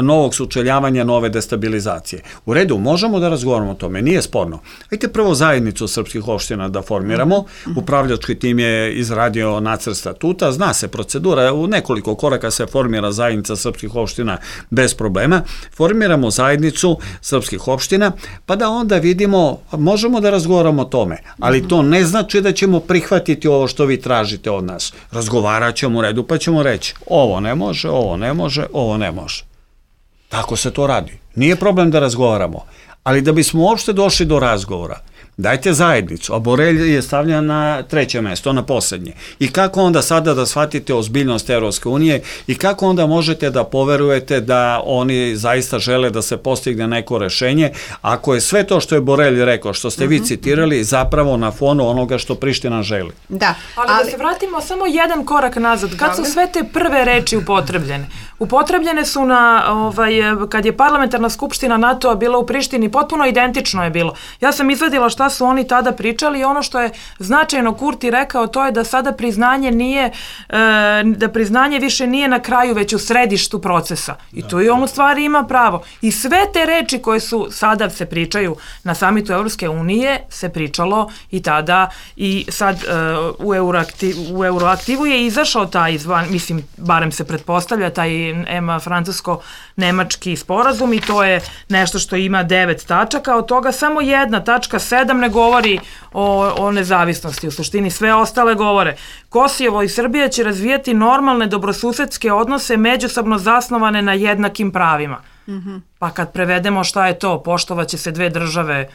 novog sučeljavanja, nove destabilizacije. U redu, možemo da razgovaramo o tome, nije sporno. Ajde prvo zajednicu srpskih opština da formiramo, upravljački tim je izradio nacrt statuta, zna se procedura, u nekoliko koraka se formira zajednica srpskih opština bez problema, formiramo zajednicu srpskih opština, pa da onda vidimo, možemo da razgovaramo o tome, ali to ne znači da ćemo prihvatiti ovo što vi tražite od nas. Razgovarat ćemo u redu, pa ćemo reći, ovo ne može, ovo ne može, ovo ne može. Tako se to radi. Nije problem da razgovaramo, ali da bismo uopšte došli do razgovora, dajte zajednicu, a Borelj je stavljen na 3. mesto, na poslednje. I kako onda sada da shvatite ozbiljnost Evropske unije i kako onda možete da poverujete da oni zaista žele da se postigne neko rešenje, ako je sve to što je Borelj rekao, što ste vi citirali, zapravo na fonu onoga što Priština želi. Da. Ali da se vratimo samo jedan korak nazad. Kad su sve te prve reči upotrebljene? Upotrebljene su kad je parlamentarna skupština NATO-a bila u Prištini, potpuno identično je bilo. Ja sam izvadila šta su oni tada pričali i ono što je značajno Kurti rekao, to je da sada priznanje nije, da priznanje više nije na kraju, već u središtu procesa. I tu i on u stvari ima pravo. I sve te reči koje su sada se pričaju na samitu Evropske unije se pričalo i tada i sad u Euroaktivu je izašao taj, mislim, barem se pretpostavlja, taj francusko-nemački sporazum i to je nešto što ima 9 tačaka, od toga samo jedna tačka 7 ne govori o nezavisnosti, u suštini sve ostale govore. Kosovo i Srbija će razvijati normalne dobrosusedske odnose međusobno zasnovane na jednakim pravima. Pa kad prevedemo šta je to, poštovaće se dve države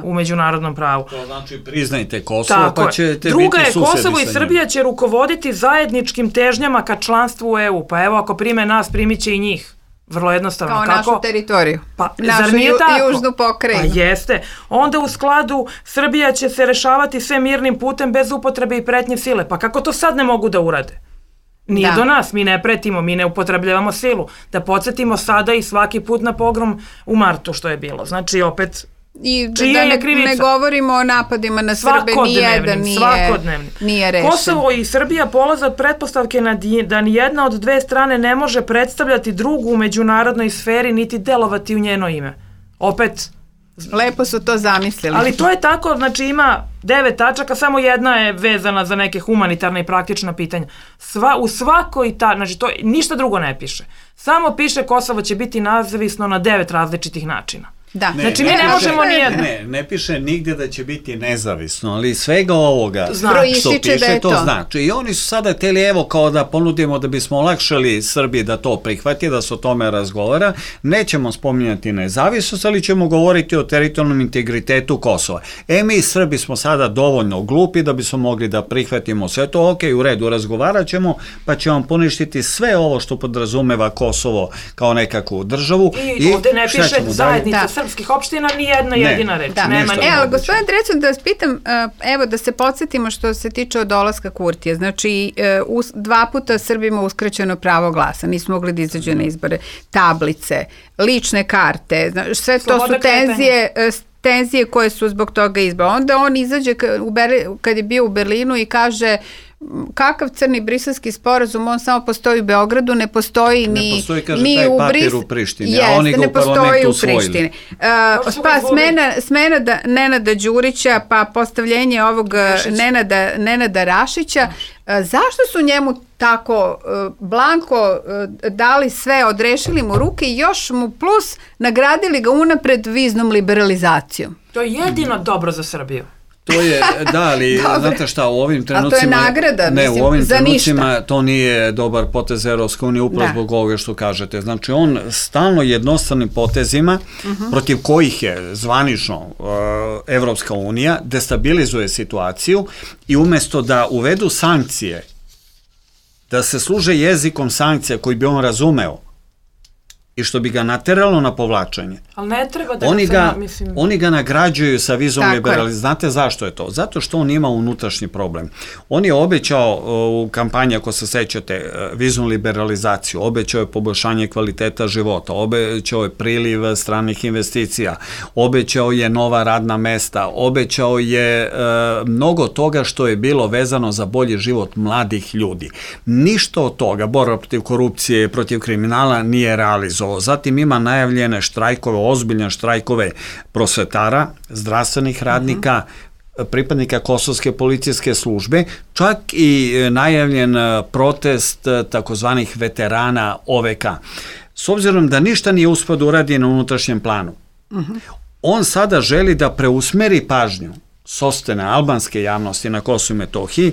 u međunarodnom pravu. To znači priznajte Kosovo, pa ćete biti susedi sa njim. Druga je, Kosovo i Srbija će rukovoditi zajedničkim težnjama ka članstvu u EU, pa evo ako prime nas, primit će i njih. Vrlo jednostavno. Kao našu teritoriju. Pa, našu južnu pokrajinu. Pa jeste. Onda u skladu Srbija će se rešavati sve mirnim putem bez upotrebe i pretnje sile. Pa kako to sad ne mogu da urade? Nije do nas, mi ne pretimo, mi ne upotrebljavamo silu. Da podsjetimo sada i svaki put na pogrom u martu što je bilo. Znači opet... I da ne govorimo o napadima na Srbe, nijedan nije rešen. Kosovo i Srbija polaze od pretpostavke da nijedna od dve strane ne može predstavljati drugu u međunarodnoj sferi niti delovati u njeno ime. Opet... Lepo su to zamislili. Ali to je tako, znači ima 9 tačaka, samo jedna je vezana za neke humanitarne i praktična pitanja. U svakoj znači to ništa drugo ne piše. Samo piše Kosovo će biti nezavisno na 9 različitih načina. Da. Znači mi ne možemo nijedno. Ne piše nigde da će biti nezavisno, ali svega ovoga što piše, da je to znači. I oni su sada htjeli, evo, kao da ponudimo da bismo olakšali Srbiji da to prihvati, da se o tome razgovara. Nećemo spominjati nezavisnost, ali ćemo govoriti o teritorijalnom integritetu Kosova. Mi Srbi smo sada dovoljno glupi da bismo mogli da prihvatimo sve to, ok, u redu, razgovarat ćemo, pa će vam poništiti sve ovo što podrazumeva Kosovo kao nekakvu državu. I ovde ne piše zajednica srpskih opština, ni jedna jedina reč. Nema ni ali gospodin Drecun, da vas pitam, evo da se podsjetimo što se tiče od dolaska Kurtija. Znači, 2 puta Srbima uskraćeno pravo glasa, nismo mogli da izađu na izbore, tablice, lične karte, sve to su tenzije koje su zbog toga izbora. Onda on izađe kad je bio u Berlinu i kaže kakav crni briselski sporazum, on samo postoji u Beogradu, ne postoji ni u Prištini, a oni ga u parlamentu usvojili. Pa smena Nenada Đurića, pa postavljenje ovog Nenada Rašića. Zašto su njemu tako blanko dali sve, odrešili mu ruke i još mu plus nagradili ga unapred viznom liberalizacijom? To je jedino dobro za Srbiju. To je, da, ali znate šta, u ovim trenucima... A to je nagrada, mislim, u ovim trenucima to nije dobar potez Evropske unije, upravo zbog ovoga što kažete. Znači, on stalno jednostavnim potezima, protiv kojih je zvanično Evropska unija, destabilizuje situaciju i umjesto da uvedu sankcije, da se služe jezikom sankcija koji bi on razumeo, i što bi ga nateralo na povlačenje. Ali ne treba da oni ga nagrađuju sa vizom liberalizacije. Znate zašto je to? Zato što on ima unutrašnji problem. On je obećao u kampanji, ako se sećate, viznu liberalizaciju, obećao je poboljšanje kvaliteta života, obećao je priliv stranih investicija, obećao je nova radna mesta, obećao je mnogo toga što je bilo vezano za bolji život mladih ljudi. Ništa od toga, borba protiv korupcije, protiv kriminala nije realizovao. Zatim ima najavljene štrajkove, ozbiljne štrajkove prosvetara, zdravstvenih radnika, pripadnika Kosovske policijske službe, čak i najavljen protest takozvanih veterana OVK. S obzirom da ništa nije uspeo da uradi na unutrašnjem planu, on sada želi da preusmeri pažnju sopstvene albanske javnosti na Kosovu i Metohiji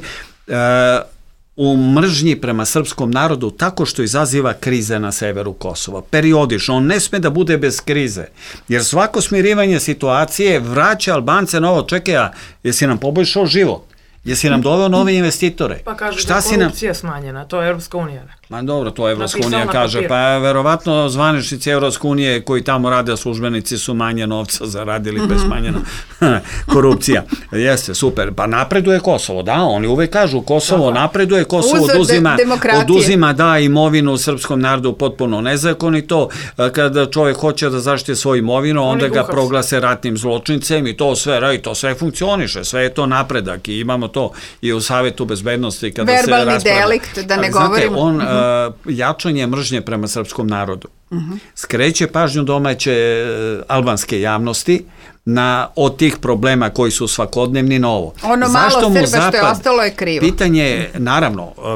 u mržnji prema srpskom narodu tako što izaziva krize na severu Kosova. Periodično, on ne sme da bude bez krize, jer svako smirivanje situacije vraća Albance na ovo, čekaj, jesi nam poboljšao život? Jesi nam doveo nove investitore? Pa kaže da je korupcija smanjena, to je Evropska unija. Ma dobro, to Evropska unija kaže, pa verovatno zvaničnici Evropske unije koji tamo rade, službenici su manje novca zaradili, pa je smanjena korupcija. Jeste, super, pa napreduje Kosovo, da, oni uvek kažu Kosovo napreduje, Kosovo oduzima imovinu srpskom narodu potpuno nezakonito, kada čovjek hoće da zaštiti svoju imovinu, onda ga proglase ratnim zločincem i to sve funkcioniše, sve je to napredak i imamo to i u Savetu bezbednosti kada se raspravlja. Verbalni delikt, da ne govorimo. Jačanje mržnje prema srpskom narodu skreće pažnju domaće albanske javnosti od tih problema koji su svakodnevni na ovo. Ono malo Srba što je ostalo je krivo.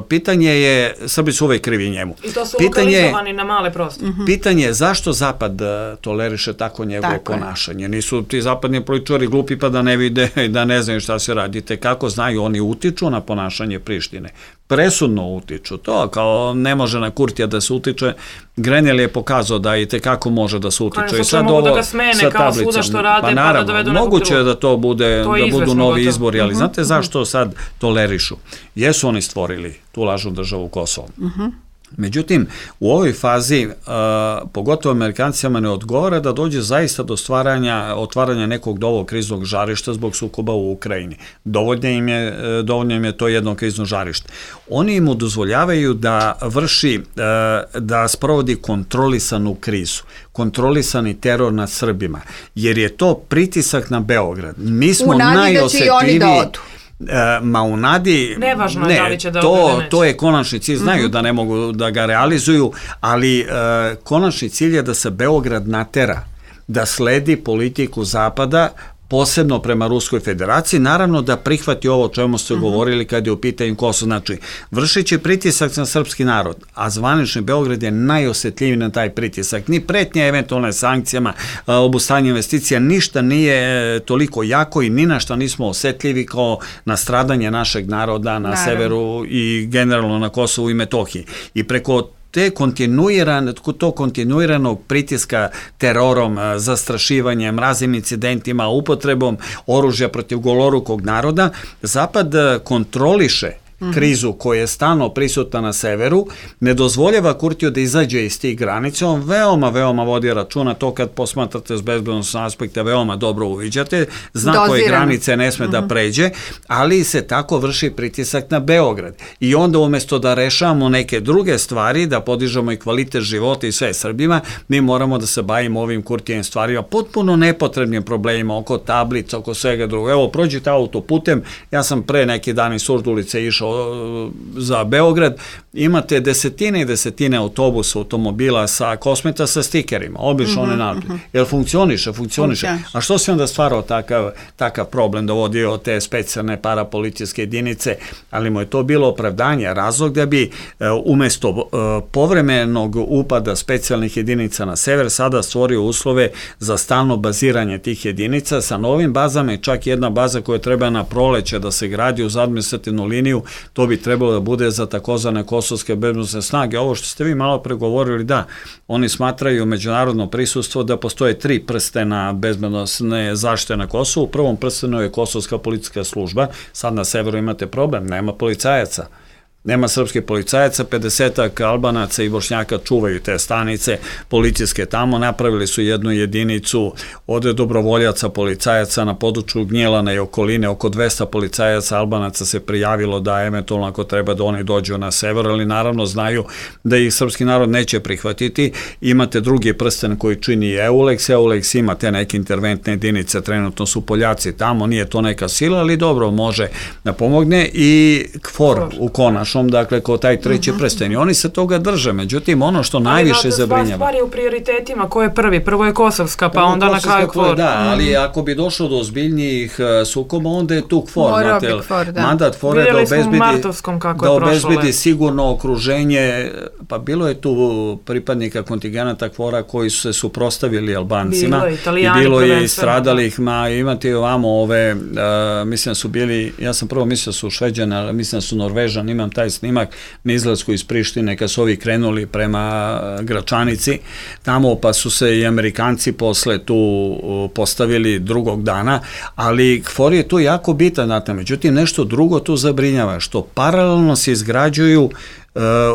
Pitanje je, Srbi su uvek krivi njemu. I to su lokalizovani na male prostore. Pitanje je zašto Zapad toleriše tako njegovo ponašanje. Nisu ti zapadni političari glupi pa da ne vide i da ne znaju šta se radite. Kako znaju, oni utiču na ponašanje Prištine. Presudno utiču. To kao ne može na Kurtija da se utiče. Grenell je pokazao da i tekako može da se utiče. I sad mogu da ga smene kao svuda što rade, pa da dovedu nekog moguće je da to bude, da budu novi izbori, ali znate zašto sad tolerišu? Jesu oni stvorili tu lažnu državu Kosovo. Međutim, u ovoj fazi, pogotovo Amerikancima ne odgovara da dođe zaista do otvaranja nekog novog kriznog žarišta zbog sukoba u Ukrajini. Dovoljno im je to jedno krizno žarište. Oni im dozvoljavaju da sprovodi kontrolisanu krizu, kontrolisani teror nad Srbima, jer je to pritisak na Beograd. Mi smo najosetljiviji. Ma u nadi, to je konačni cilj, znaju da ne mogu da ga realizuju, ali konačni cilj je da se Beograd natera, da sledi politiku Zapada posebno prema Ruskoj federaciji, naravno da prihvati ovo o čemu ste govorili kad je u pitanju Kosovo. Znači, vršeći pritisak na srpski narod, a zvanični Beograd je najosjetljiviji na taj pritisak. Ni pretnje eventualne sankcijama, obustavljanje investicija, ništa nije toliko jako i ni na šta nismo osjetljivi kao na stradanje našeg naroda na severu i generalno na Kosovu i Metohiji. I preko tog kontinuiranog pritiska terorom, zastrašivanjem, raznim incidentima, upotrebom oružja protiv golorukog naroda, Zapad kontroliše krizu koja je stalno prisutna na severu, ne dozvoljava Kurtiju da izađe iz tih granica, on veoma vodi računa, to kad posmatrate s bezbednosnog aspekta veoma dobro uviđate, zna koje granice ne sme da pređe, ali se tako vrši pritisak na Beograd. I onda umjesto da rešavamo neke druge stvari, da podižemo i kvalitet života i sve Srbima, mi moramo da se bavimo ovim Kurtijevim stvarima, potpuno nepotrebnim problemima oko tablica, oko svega drugo. Evo, prođite autoputem, ja sam pre neki dan iz Surdulice išao za Beograd, imate desetine i desetine autobusa, automobila sa Kosmeta sa stikerima, obično one naprijed. Jel funkcioniše? A što se onda stvarao takav problem, dovodio te specijalne parapolicijske jedinice, ali mu je to bilo opravdanje, razlog da bi umesto povremenog upada specijalnih jedinica na sever sada stvorio uslove za stalno baziranje tih jedinica sa novim bazama i čak jedna baza koja treba na proleće da se gradi uz administrativnu liniju, to bi trebalo da bude za takozvane kosovske bezbednosne snage. Ovo što ste vi malo pregovorili, da, oni smatraju međunarodno prisustvo da postoje 3 prstena bezbednosne zaštite na Kosovu. U prvom prstenu je Kosovska policijska služba, sad na severu imate problem, nema policajaca. Nema srpskih policajaca, 50-ak Albanaca i Bošnjaka čuvaju te stanice policijske tamo, napravili su jednu jedinicu od dobrovoljaca policajaca na području Gnjelana i okoline, oko 200 policajaca Albanaca se prijavilo da eventualno ako treba da oni dođu na sever, ali naravno znaju da ih srpski narod neće prihvatiti. Imate drugi prsten koji čini EULEX ima te neke interventne jedinice, trenutno su Poljaci tamo, nije to neka sila, ali dobro, može da pomogne i KFOR u konačnom, dakle, kao taj treći prsten. I oni se toga drže, međutim, ono što najviše zabrinjava. Ali stvari u prioritetima, ko je prvi? Prvo je Kosovska, pa onda na kraju KFOR. Da, ali ako bi došlo do ozbiljnijih sukoba, onda je tu KFOR. Mandat KFOR je da obezbedi sigurno okruženje, pa bilo je tu pripadnika kontingenta KFOR-a koji su se suprostavili Albancima i bilo je i stradalih, imate i ovamo ove, mislim da su bili, ja sam prvo mislio da su Šveđani, ali mislim da su Norvežani, imam taj snimak na izlasku iz Prištine kad su ovi krenuli prema Gračanici tamo, pa su se i Amerikanci posle tu postavili drugog dana, ali KFOR je tu jako bitan, znate, međutim nešto drugo tu zabrinjava, što paralelno se izgrađuju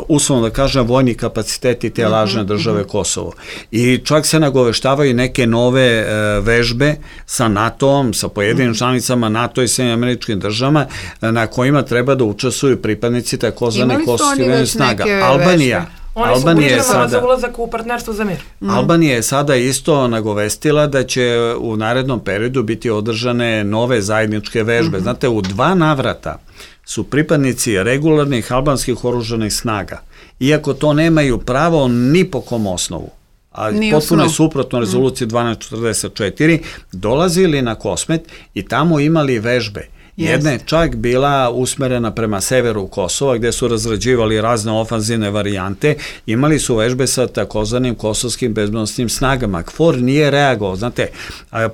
uslovno da kažem vojni kapaciteti te lažne države Kosovo. I čak se nagoveštavaju neke nove vežbe sa NATO-om, sa pojedinim članicama NATO i Sjedinjenim Američkim Državama na kojima treba da učestvuju pripadnici takozvane kosovske snaga. Albanija. Oni su pripremali za ulazak u partnerstvo za mir. Albanija je sada isto nagovestila da će u narednom periodu biti održane nove zajedničke vežbe. Znate, u 2 navrata su pripadnici regularnih albanskih oružanih snaga, iako to nemaju pravo ni po kom osnovu, a potpuno je suprotno rezoluciji 1244, dolazili na Kosmet i tamo imali vežbe. Jedna je čak bila usmerena prema severu Kosova, gde su razrađivali razne ofanzivne varijante, imali su vežbe sa takozvanim kosovskim bezbednosnim snagama. KFOR nije reagovao, znate,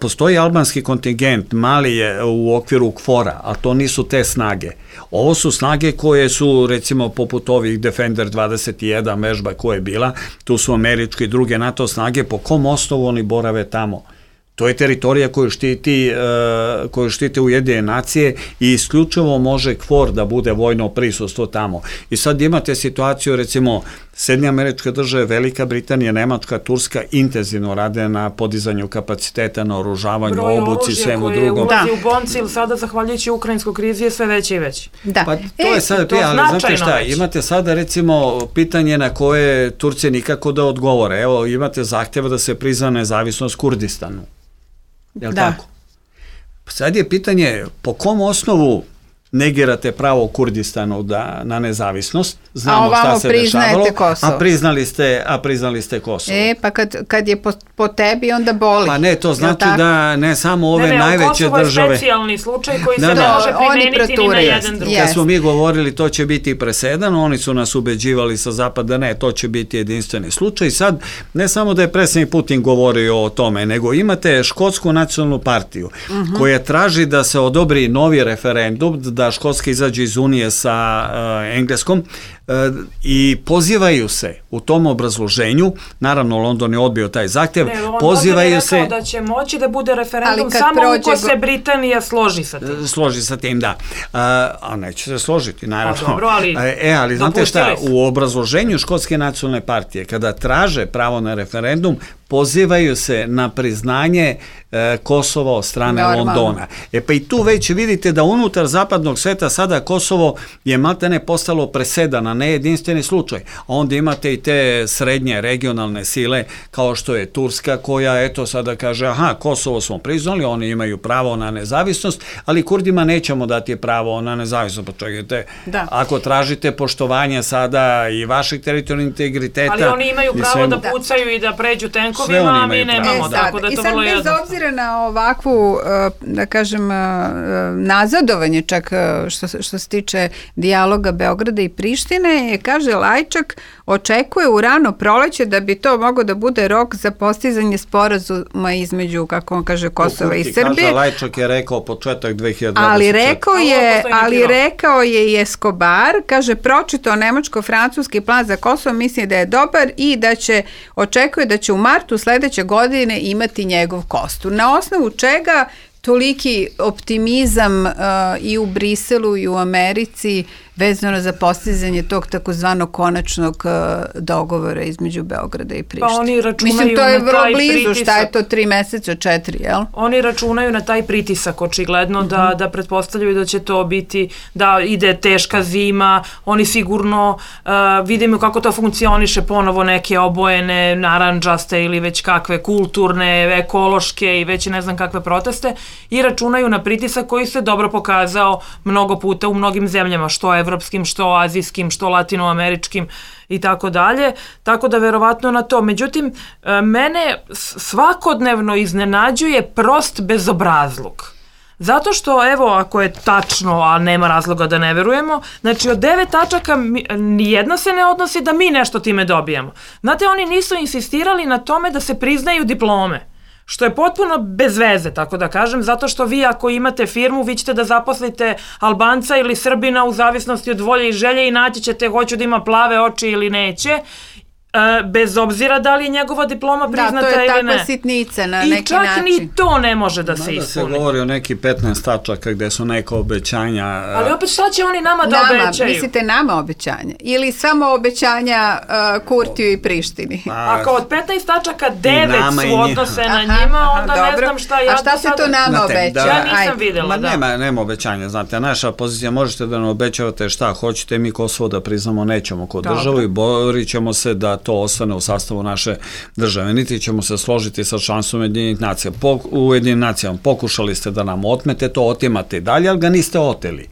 postoji albanski kontingent, mali je u okviru KFOR-a, a to nisu te snage. Ovo su snage koje su, recimo, poput ovih Defender 21 vežba koja je bila, tu su američke i druge NATO snage, po kom osnovu oni borave tamo? To je teritorija koju štite Ujedinjene nacije i isključivo može KFOR da bude vojno prisustvo tamo. I sad imate situaciju, recimo, Sjedinjene Američke Države, Velika Britanija, Nemačka, Turska intenzivno rade na podizanju kapaciteta, na oružavanju, obuci, svemu drugom. Broj oružja koje ulazi u Boncil sada, zahvaljujući ukrajinskoj krizi, je sve veće i veće. Pa to je sada, ali znate šta, imate sada, recimo, pitanje na koje Turci nikako da odgovore. Evo, imate zahtjeva da se prizna nezavisnost Kurdistanu. Jel' tako? Sad je pitanje po kom osnovu negirate pravo Kurdistanu na nezavisnost, znamo šta se dešavalo, a priznali ste Kosovo. Pa kad je po tebi, onda boli. Pa ne, to znači da ne samo ove najveće države... Kosovo je specijalni slučaj koji se ne može primeniti ni na jedan drugi. Kad smo mi govorili to će biti presedan, oni su nas ubeđivali sa zapada, ne, to će biti jedinstveni slučaj. Sad, ne samo da je predsjednik Putin govorio o tome, nego imate Škotsku nacionalnu partiju koja traži da se odobri novi referendum, da Škotska izađe iz Unije sa Engleskom i pozivaju se u tom obrazloženju, naravno London je odbio taj zahtjev, pozivaju se... da će moći da bude referendum samo uko se Britanija složi sa tim. Složi sa tim, da. A neće se složiti, naravno. Dobro, ali znate šta, u obrazloženju Škotske nacionalne partije, kada traže pravo na referendum, pozivaju se na priznanje Kosova od strane Londona. Pa i tu već vidite da unutar zapadnog sveta sada Kosovo je maltene postalo presedan, a ne jedinstveni slučaj. A onda imate i te srednje regionalne sile kao što je Turska koja eto sada kaže aha, Kosovo smo priznali, oni imaju pravo na nezavisnost, ali Kurdima nećemo dati pravo na nezavisnost. Pa čekajte, ako tražite poštovanje sada i vašeg teritorijalnog integriteta... Ali oni imaju pravo da pucaju i da pređu tenkovima, a mi nemamo, tako da je to vrlo jednostavno. I sad bez obzira na ovakvu, da kažem, nazadovanje čak što se tiče dijaloga Beograda i Prištine, kaže Lajčak, očekuje u rano proleće da bi to moglo da bude rok za postizanje sporazuma između, kako on kaže, Kosova i Srbije. Kaže, Lajčak je rekao početak 2024. Ali rekao je i Escobar, kaže, pročitao nemačko-francuski plan za Kosovo, misli da je dobar i da očekuje da će u martu sledeće godine imati njegov kostur. Na osnovu čega toliki optimizam i u Briselu i u Americi vezano za postizanje tog takozvanog konačnog dogovora između Beograda i Prištine. Pa oni računaju mislim, to je na vrlo taj blizu, pritisak. šta je to 3 meseca, 4, jel? Oni računaju na taj pritisak, očigledno, da pretpostavljaju da će to biti, da ide teška zima, oni sigurno vidimo kako to funkcioniše, ponovo neke obojene, narandžaste ili već kakve kulturne, ekološke i već ne znam kakve proteste i računaju na pritisak koji se dobro pokazao mnogo puta u mnogim zemljama, što evropskim, što azijskim, što latinoameričkim i tako dalje, tako da verovatno na to. Međutim, mene svakodnevno iznenađuje prost bezobrazluk. Zato što, evo, ako je tačno, a nema razloga da ne verujemo, znači od 9 tačaka nijedna se ne odnosi da mi nešto time dobijamo. Znate, oni nisu insistirali na tome da se priznaju diplome, što je potpuno bez veze, tako da kažem, zato što vi ako imate firmu, vi ćete da zaposlite Albanca ili Srbina u zavisnosti od volje i želje i naći ćete hoću da ima plave oči ili neće, bez obzira da li je njegova diploma priznata ili ne. Da, to je takva sitnica na neki način. I čak ni to ne može da se ispuni. Da se govori o neki 15 tačaka gde su neka obećanja. Ali opet šta će oni nama da obećaju? Mislite nama obećanja? Ili samo obećanja Kurtiju i Prištini? Ako od 15 tačaka 9 su odnose na njima, onda ne znam šta ja... A šta se to nama obeća? Ja nisam videla, da. Nema obećanja, znate, naša pozicija, možete da nam obećavate šta hoćete, mi Kosovo da priznamo nećemo kod državu i borit ćemo se da to ostane u sastavu naše države. Niti ćemo se složiti sa članstvom Ujedinjenih nacija. U Ujedinjenim nacijama pokušali ste da nam otmete, to otimate dalje, ali ga niste oteli.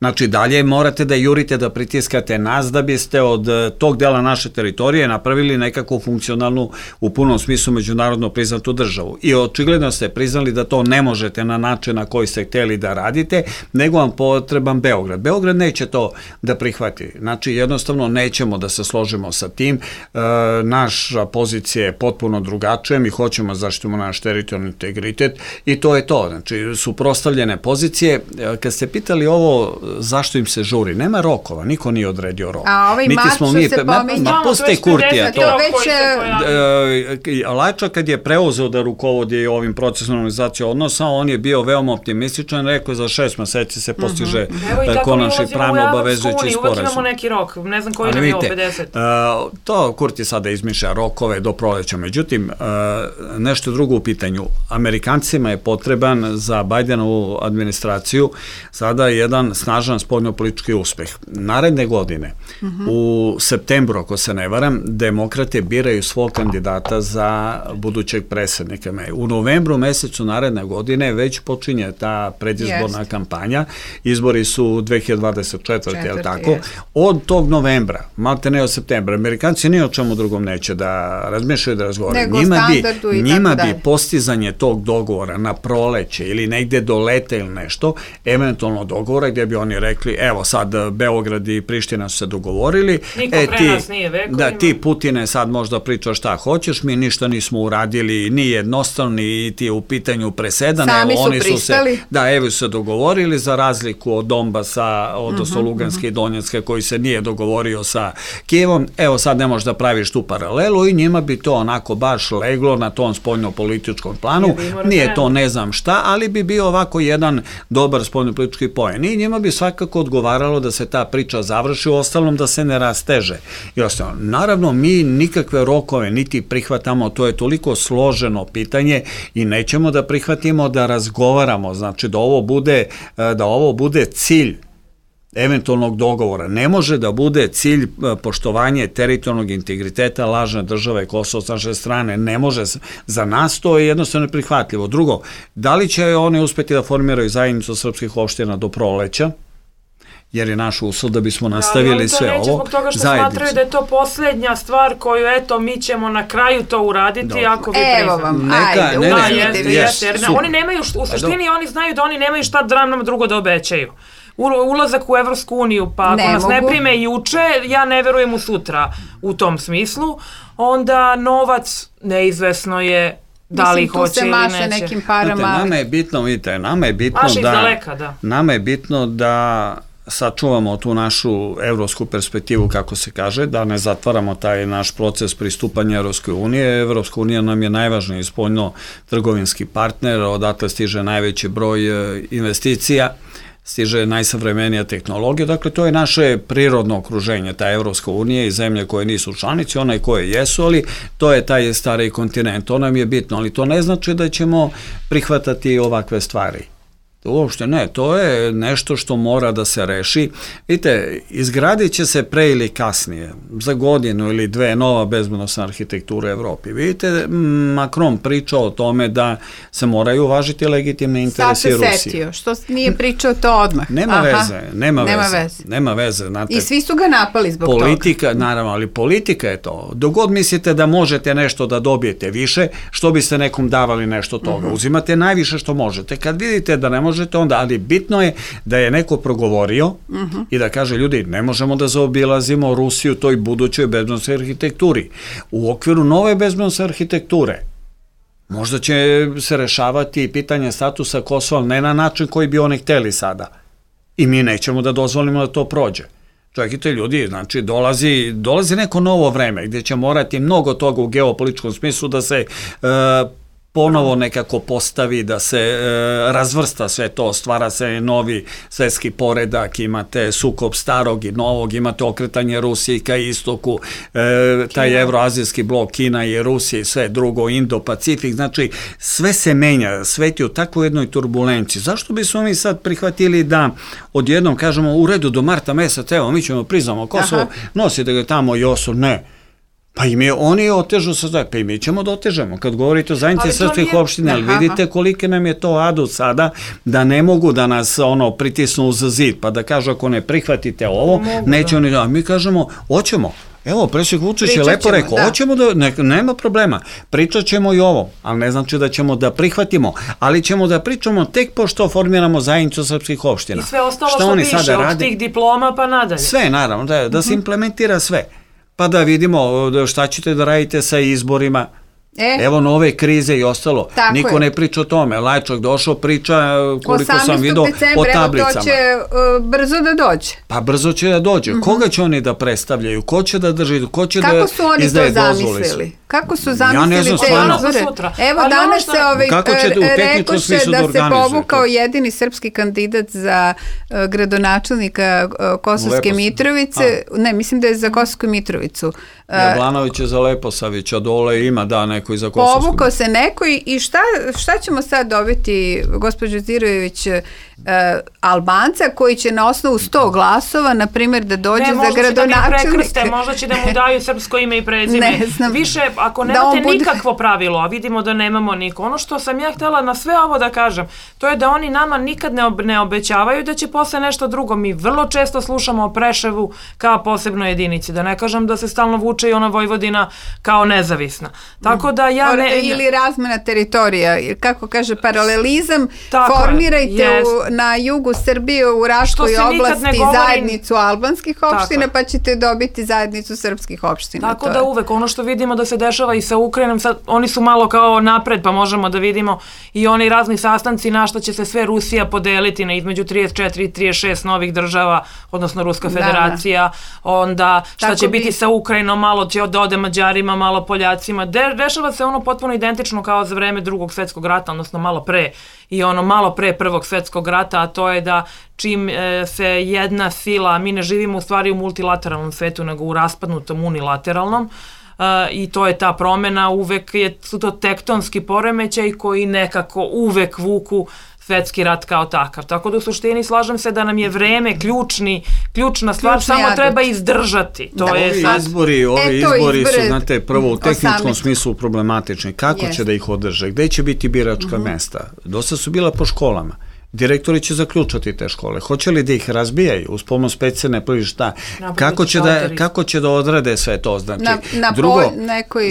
Znači, dalje morate da jurite, da pritiskate nas da biste od tog dela naše teritorije napravili nekakvu funkcionalnu, u punom smislu međunarodno priznatu državu. I očigledno ste priznali da to ne možete na način na koji ste hteli da radite, nego vam potreban Beograd. Beograd neće to da prihvati. Znači, jednostavno nećemo da se složimo sa tim. Naša pozicija je potpuno drugačija, mi hoćemo zaštitimo naš teritorijalni integritet i to je to. Znači, suprotstavljene pozicije. Kad ste pitali ovo zašto im se žuri? Nema rokova, niko nije odredio rok. A ovaj marš se pominja. Puste Kurtija to. Već... Lajčak kad je preuzeo da rukovodi ovim procesom normalizacije odnosa, on je bio veoma optimističan, rekao je za 6 meseci se postiže konačni pravno obavezujući sporazum. Uvijek imamo neki rok, ne znam koji nam je ovo 50. To Kurti sada izmišlja rokove do proleća. Međutim, nešto drugo u pitanju. Amerikancima je potreban za Bajdenovu administraciju sada jedan snažan važan spoljnopolitički uspeh. Naredne godine, u septembru, ako se ne varam, demokrate biraju svog kandidata za budućeg predsjednika. U novembru mesecu naredne godine već počinje ta predizborna kampanja. Izbori su 2024. je li tako? Od tog novembra, malte ne od septembra, Amerikanci ni o čemu drugom neće da razmišljaju, da razgovaraju. Njima bi postizanje tog dogovora na proleće ili negde do leta ili nešto, eventualno dogovora gdje bi oni rekli, evo sad Beograd i Priština su se dogovorili, niko pre nas nije vekovima. Da, ti Putine sad možda pričaš šta hoćeš, mi ništa nismo uradili, ni jednostavno, ni ti u pitanju presedan. Sami su pristali. Evo su se dogovorili, za razliku od Donbasa, odnosno Luganske i Donjecke, koji se nije dogovorio sa Kijevom, evo sad ne možeš da praviš tu paralelu i njima bi to onako baš leglo na tom spoljnopolitičkom planu. Nije to ne znam šta, ali bi bio ovako jedan dobar spoljnopolitički poen. I njima bi svakako odgovaralo da se ta priča završi, u ostalom da se ne rasteže. I ostalo. Naravno, mi nikakve rokove niti prihvatamo, to je toliko složeno pitanje i nećemo da prihvatimo da razgovaramo, znači da ovo bude cilj eventualnog dogovora. Ne može da bude cilj poštovanje teritorijalnog integriteta lažne države Kosovo s naše strane. Ne može. Za nas to je jednostavno neprihvatljivo. Drugo, da li će oni uspjeti da formiraju zajednicu srpskih opština do proleća? Jer je naš uslov da bismo nastavili sve ovo. Ali to neće zbog toga što smatraju da je to posljednja stvar koju, eto, mi ćemo na kraju to uraditi ako vi priznate. Evo vam, ajde, Oni nemaju, u suštini oni znaju da oni nemaju šta nam drugo da obećaju. Ulazak u Evropsku uniju, pa ako nas ne prime juče, ja ne verujem u sutra u tom smislu, onda novac neizvesno je da li hoće ili neće. Nekim parama. Nama je bitno da sačuvamo tu našu evropsku perspektivu, kako se kaže, da ne zatvaramo taj naš proces pristupanja Evropskoj unije. Evropska unija nam je najvažniji spoljno-trgovinski partner, odatle stiže najveći broj investicija, stiže najsavremenija tehnologija, dakle to je naše prirodno okruženje, ta Evropska unija i zemlje koje nisu članice, one koje jesu, ali to je taj stari kontinent, to nam je bitno, ali to ne znači da ćemo prihvatati ovakve stvari. Uopšte ne, to je nešto što mora da se reši. Vidite, izgradit će se pre ili kasnije, za godinu ili dve, nova bezbednosna arhitektura u Evropi. Vidite, Macron priča o tome da se moraju uvažiti legitimne interesi Rusije. Sad se setio, što nije pričao to odmah. Nema veze. Znate, i svi su ga napali zbog toga. Naravno, ali politika je to. Dok god mislite da možete nešto da dobijete više, što biste nekom davali nešto toga? Uzimate najviše što možete. Kad vidite da ne možete onda, ali bitno je da je neko progovorio i da kaže, ljudi, ne možemo da zaobilazimo Rusiju toj budućoj bezbednosnoj arhitekturi. U okviru nove bezbednosne arhitekture možda će se rešavati pitanje statusa Kosova, ne na način koji bi oni hteli sada. I mi nećemo da dozvolimo da to prođe. Čekajte ljudi, znači dolazi neko novo vreme gdje će morati mnogo toga u geopolitičkom smislu da se ponovo nekako postavi, da se razvrsta sve to, stvara se novi svetski poredak, imate sukob starog i novog, imate okretanje Rusije ka istoku, taj evroazijski blok Kina i Rusija i sve drugo, Indo-Pacifik, znači sve se menja, svet je u takvoj jednoj turbulenciji. Zašto bismo mi sad prihvatili da odjednom kažemo u redu do marta meseca, evo mi ćemo priznamo Kosovo, nosite ga tamo i osu, ne. Pa oni otežu se, pa i mi ćemo da otežemo. Kad govorite o zajednici srpskih opština, ali vidite kolike nam je to adut sada, da ne mogu da nas pritisnu uz zid, pa da kažu ako ne prihvatite ovo, neće oni da. Mi kažemo, hoćemo. Evo, predsjednik Vučić je lepo rekao, hoćemo da, nema problema, pričat ćemo i ovo, ali ne znači da ćemo da prihvatimo, ali ćemo da pričamo tek pošto formiramo zajednicu srpskih opština. I sve ostalo što piše, od tih diploma pa nadalje. Sve, naravno, da se implementira sve. Pa da vidimo šta ćete da radite sa izborima. Evo nove krize i ostalo. Niko ne priča o tome. Lajčak došao, priča koliko sam vidio o tablicama. 18. to će brzo da dođe. Pa brzo će da dođe. Koga će oni da predstavljaju? Ko će da drži? Ko će da izdaje dozvole? Kako su zamislili te izbore? Evo ali danas se rekoše da se povukao jedini srpski kandidat za gradonačelnika Kosovske Mitrovice. Ne, mislim da je za Kosovsku Mitrovicu. Jablanović je za Leposavića, dole ima neko i za Kosovsku. Povukao se neko i šta ćemo sad dobiti, gospođo Zirojević, Albanca koji će na osnovu 100 glasova, na primjer, da dođe za gradonačelnika. Možda će da mu daju srpsko ime i prezime. Više, ako nemate nikakvo pravilo, a vidimo da nemamo niko. Ono što sam ja htjela na sve ovo da kažem, to je da oni nama nikad ne obećavaju da će posle nešto drugo. Mi vrlo često slušamo o Preševu kao posebnoj jedinici. Da ne kažem da se stalno vuče i ona Vojvodina kao nezavisna. Tako da ja ili razmena teritorija. Kako kaže, paralelizam. Formirajte na jugu Srbije u Raškoj oblasti zajednicu albanskih opština, pa ćete dobiti zajednicu srpskih opština. Tako da uvek ono što vidimo da se dešava i sa Ukrajinom, sad oni su malo kao napred, pa možemo da vidimo i oni razni sastanci na što će se sve Rusija podeliti na između 34 i 36 novih država, odnosno Ruska federacija, onda šta će biti sa Ukrajinom, malo će da ode Mađarima, malo Poljacima. Dešava se ono potpuno identično kao za vreme Drugog svjetskog rata, odnosno malo pre i ono malo pre Prvog svjetskog rata, a to je da čim se jedna sila, mi ne živimo u stvari u multilateralnom svetu, nego u raspadnutom unilateralnom, i to je ta promjena, uvek su to tektonski poremećaj koji nekako uvek vuku svetski rat kao takav. Tako da u suštini slažem se da nam je vreme ključna stvar, samo treba izdržati. Ovi izbori su, znate, prvo u tehničkom smislu problematični. Kako će da ih održe? Gde će biti biračka mesta? Dosta su bila po školama. Direktori će zaključati te škole. Hoće li da ih razbijaju uz pomoć specijalne šta? Kako će da odrade sve to? Znači, drugo,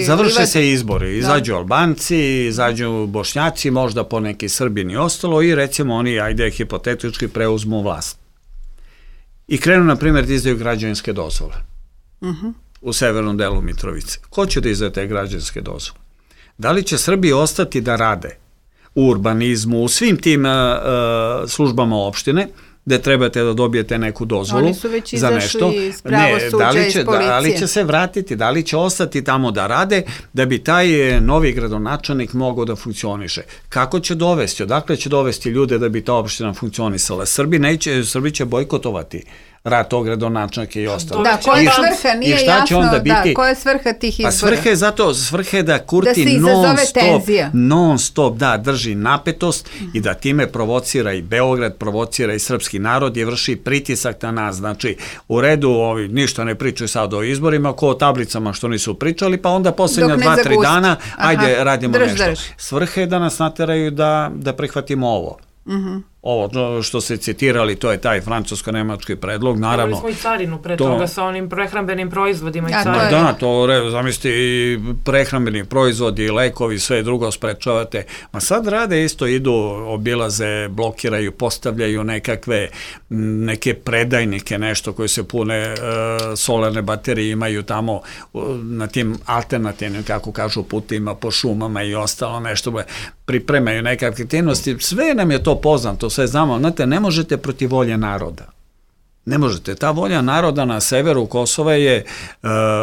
završe se izbori. Izađu Albanci, izađu Bošnjaci, možda poneki Srbini i ostalo i recimo oni, ajde hipotetički, preuzmu vlast. I krenu, na primjer, da izdaju građevinske dozvole u severnom delu Mitrovice. Ko će da izdaje te građevinske dozvole? Da li će Srbi ostati da rade u urbanizmu, u svim tim službama opštine, gde trebate da dobijete neku dozvolu za nešto? Oni su već izašli iz pravosuđa, iz policije. Da li će se vratiti, da li će ostati tamo da rade, da bi taj novi gradonačelnik mogao da funkcioniše? Kako će dovesti? Odakle će dovesti ljude da bi ta opština funkcionisala? Srbi će bojkotovati rad tog gradonačelnika i ostalo. Da, koja je svrha, nije jasno, koja je svrha tih izbora? Pa svrha je da Kurti non stop drži napetost i da time provocira i Beograd, provocira i srpski narod i vrši pritisak na nas. Znači, u redu, ništa ne pričaju sad o izborima, ko o tablicama što nisu pričali, pa onda posljednja 2-3 dana, ajde, radimo nešto. Svrha je da nas nateraju da prihvatimo ovo. Ovo što se citirali, to je taj francusko-nemački predlog, naravno. Imali smo i carinu pre toga sa onim prehrambenim proizvodima i carinu. Da, to zamislite i prehrambeni proizvodi, lekovi, sve drugo sprečavate. Ma sad rade isto, idu, obilaze, blokiraju, postavljaju neke predajnike, nešto koje se pune solarne baterije, imaju tamo na tim alternativnim, kako kažu, putima po šumama i ostalo nešto, pripremaju neke aktivnosti. Sve nam je to poznato, sve znamo, znate, ne možete protiv volje naroda. Ne možete. Ta volja naroda na severu Kosova je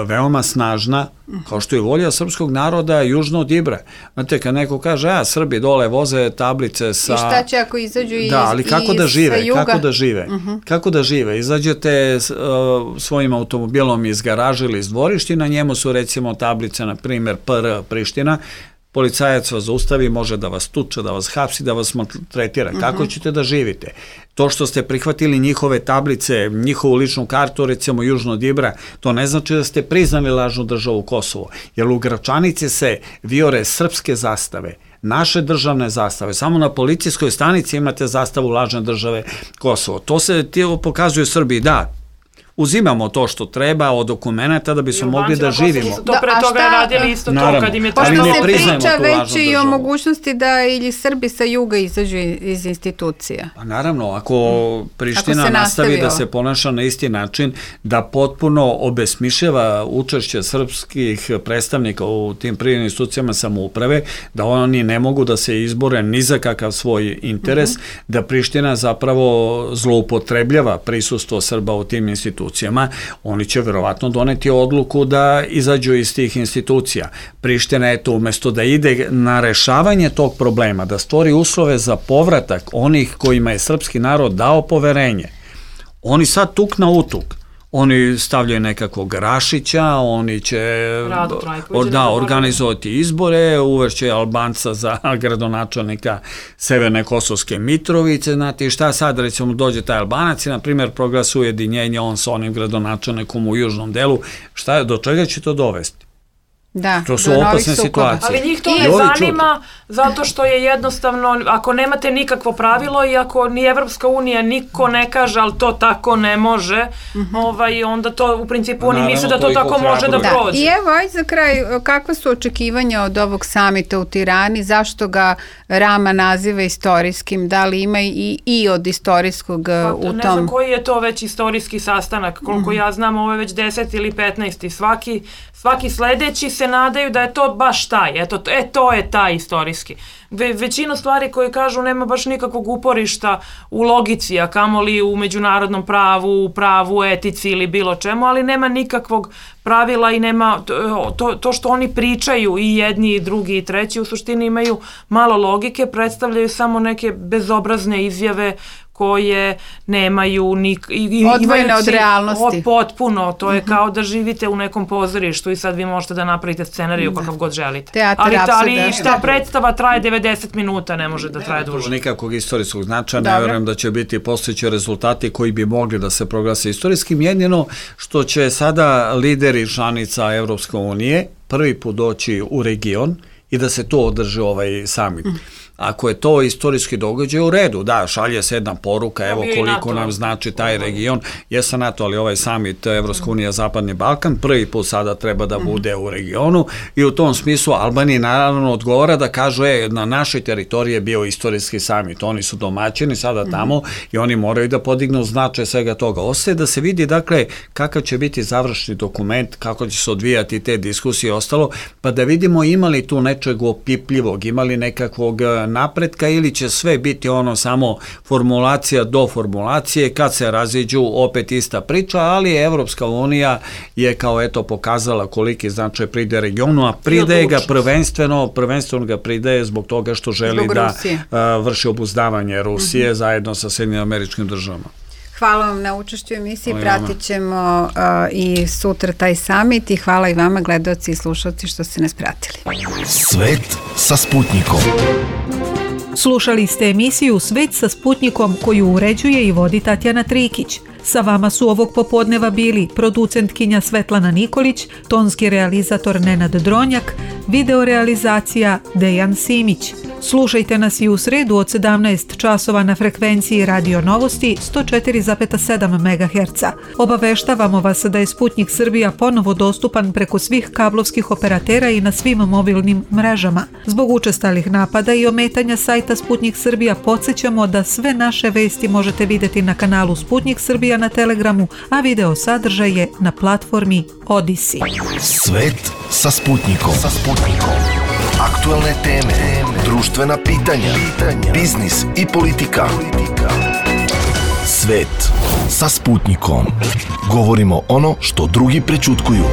veoma snažna, kao što je volja srpskog naroda južno od Ibra. Znate, kad neko kaže, Srbi dole voze tablice sa... I šta će ako izađu i sa juga? Da, ali kako da žive? Izađete svojim automobilom iz garaže ili iz dvorišta i na njemu su recimo tablice, na primjer, PR Priština. Policajac vas zaustavi, može da vas tuče, da vas hapsi, da vas maltretira. Kako ćete da živite? To što ste prihvatili njihove tablice, njihovu ličnu kartu, recimo južno od Ibra, to ne znači da ste priznali lažnu državu Kosovo. Jer u Gračanici se vijore srpske zastave, naše državne zastave. Samo na policijskoj stanici imate zastavu lažne države Kosovo. To se pokazuje Srbiji, da, uzimamo to što treba od dokumenta da bi smo mogli da živimo. To pre toga radili isto to kad im je trebalo. Pošto se priča već i o mogućnosti da ili Srbi sa juga izađu iz institucija. Pa naravno, ako Priština nastavi da se ponaša na isti način, da potpuno obesmišljava učešće srpskih predstavnika u tim privrednim institucijama samouprave, da oni ne mogu da se izbore ni za kakav svoj interes, da Priština zapravo zloupotrebljava prisustvo Srba u tim institucijama, institucijama, oni će verovatno doneti odluku da izađu iz tih institucija. Priština je to umesto da ide na rešavanje tog problema, da stvori uslove za povratak onih kojima je srpski narod dao poverenje. Oni sad tuk na utuk. Oni stavljaju nekakvog Rašića, oni će organizovati izbore, uvešće Albanca za gradonačelnika Severne Kosovske Mitrovice, znate šta sad, recimo dođe taj Albanac i na primjer proglasuje ujedinjenje on sa onim gradonačelnikom u južnom delu, do čega će to dovesti? Da, to su opasne situacije. Ali njih to ne zanima zato što je jednostavno, ako nemate nikakvo pravilo i ako ni Evropska unija niko ne kaže, ali to tako ne može, onda to u principu oni misle da to tako može da prođe. I evo, aj za kraj, kakva su očekivanja od ovog samita u Tirani, zašto ga Rama naziva istorijskim, da li ima i od istorijskog u tom? Ne znam koji je to već istorijski sastanak, koliko ja znam, ovo je već 10 ili 15. Svaki sledeći se nadaju da je to baš taj, to je taj istorijski. Većinu stvari koje kažu nema baš nikakvog uporišta u logici, a kamoli u međunarodnom pravu, u pravu, etici ili bilo čemu, ali nema nikakvog pravila i nema to što oni pričaju i jedni i drugi i treći u suštini imaju malo logike, predstavljaju samo neke bezobrazne izjave koje nemaju odvojene od realnosti. Potpuno, to je kao da živite u nekom pozorištu i sad vi možete da napravite scenariju kakav god želite. Ali ta predstava traje 90 minuta, ne može da traje duže. Nikakvog istorijskog značaja, ne verujem da će biti postojeći rezultati koji bi mogli da se proglase istorijskim, jedino što će sada lideri članica Evropske unije prvi put doći u region i da se to održi ovaj samit. Ako je to istorijski događaj, u redu, da, šalje se jedna poruka, evo koliko nam znači taj region, jesam NATO, ali ovaj samit Evropska unija Zapadni Balkan, prvi put sada treba da bude u regionu i u tom smislu Albaniji naravno odgovara da kažu, na našoj teritoriji je bio istorijski samit, oni su domaćini sada tamo i oni moraju da podignu značaj svega toga. Ostaje da se vidi, dakle, kakav će biti završni dokument, kako će se odvijati te diskusije i ostalo, pa da vidimo ima li tu nečeg opipljivog, ima li nekakvog napretka ili će sve biti ono samo formulacija do formulacije, kad se raziđu opet ista priča, ali Evropska unija je kao eto pokazala koliki značaj pridaje regionu, a pridaje ga prvenstveno ga pridaje zbog toga što želi da vrši obuzdavanje Rusije zajedno sa Sjedinjenim Američkim Državama. Hvala vam na učešću u emisiji, pratit ćemo i sutra taj samit i hvala i vama gledaoci i slušalci što ste nas pratili. Svet sa Sputnikom. Slušali ste emisiju Svet sa Sputnikom koju uređuje i vodi Tatjana Trikić. Sa vama su ovog popodneva bili producentkinja Svetlana Nikolić, tonski realizator Nenad Dronjak, videorealizacija Dejan Simić. Slušajte nas i u sredu od 17 časova na frekvenciji Radio Novosti 104,7 MHz. Obaveštavamo vas da je Sputnik Srbija ponovo dostupan preko svih kablovskih operatera i na svim mobilnim mrežama. Zbog učestalih napada i ometanja sajta Sputnik Srbija podsjećamo da sve naše vesti možete vidjeti na kanalu Sputnik Srbija na Telegramu, a video sadržaj je na platformi Odisi. Svet sa Sputnikom. Aktualne teme, društvena pitanja, biznis i politika. Svet sa Sputnikom. Govorimo ono što drugi prećutkuju.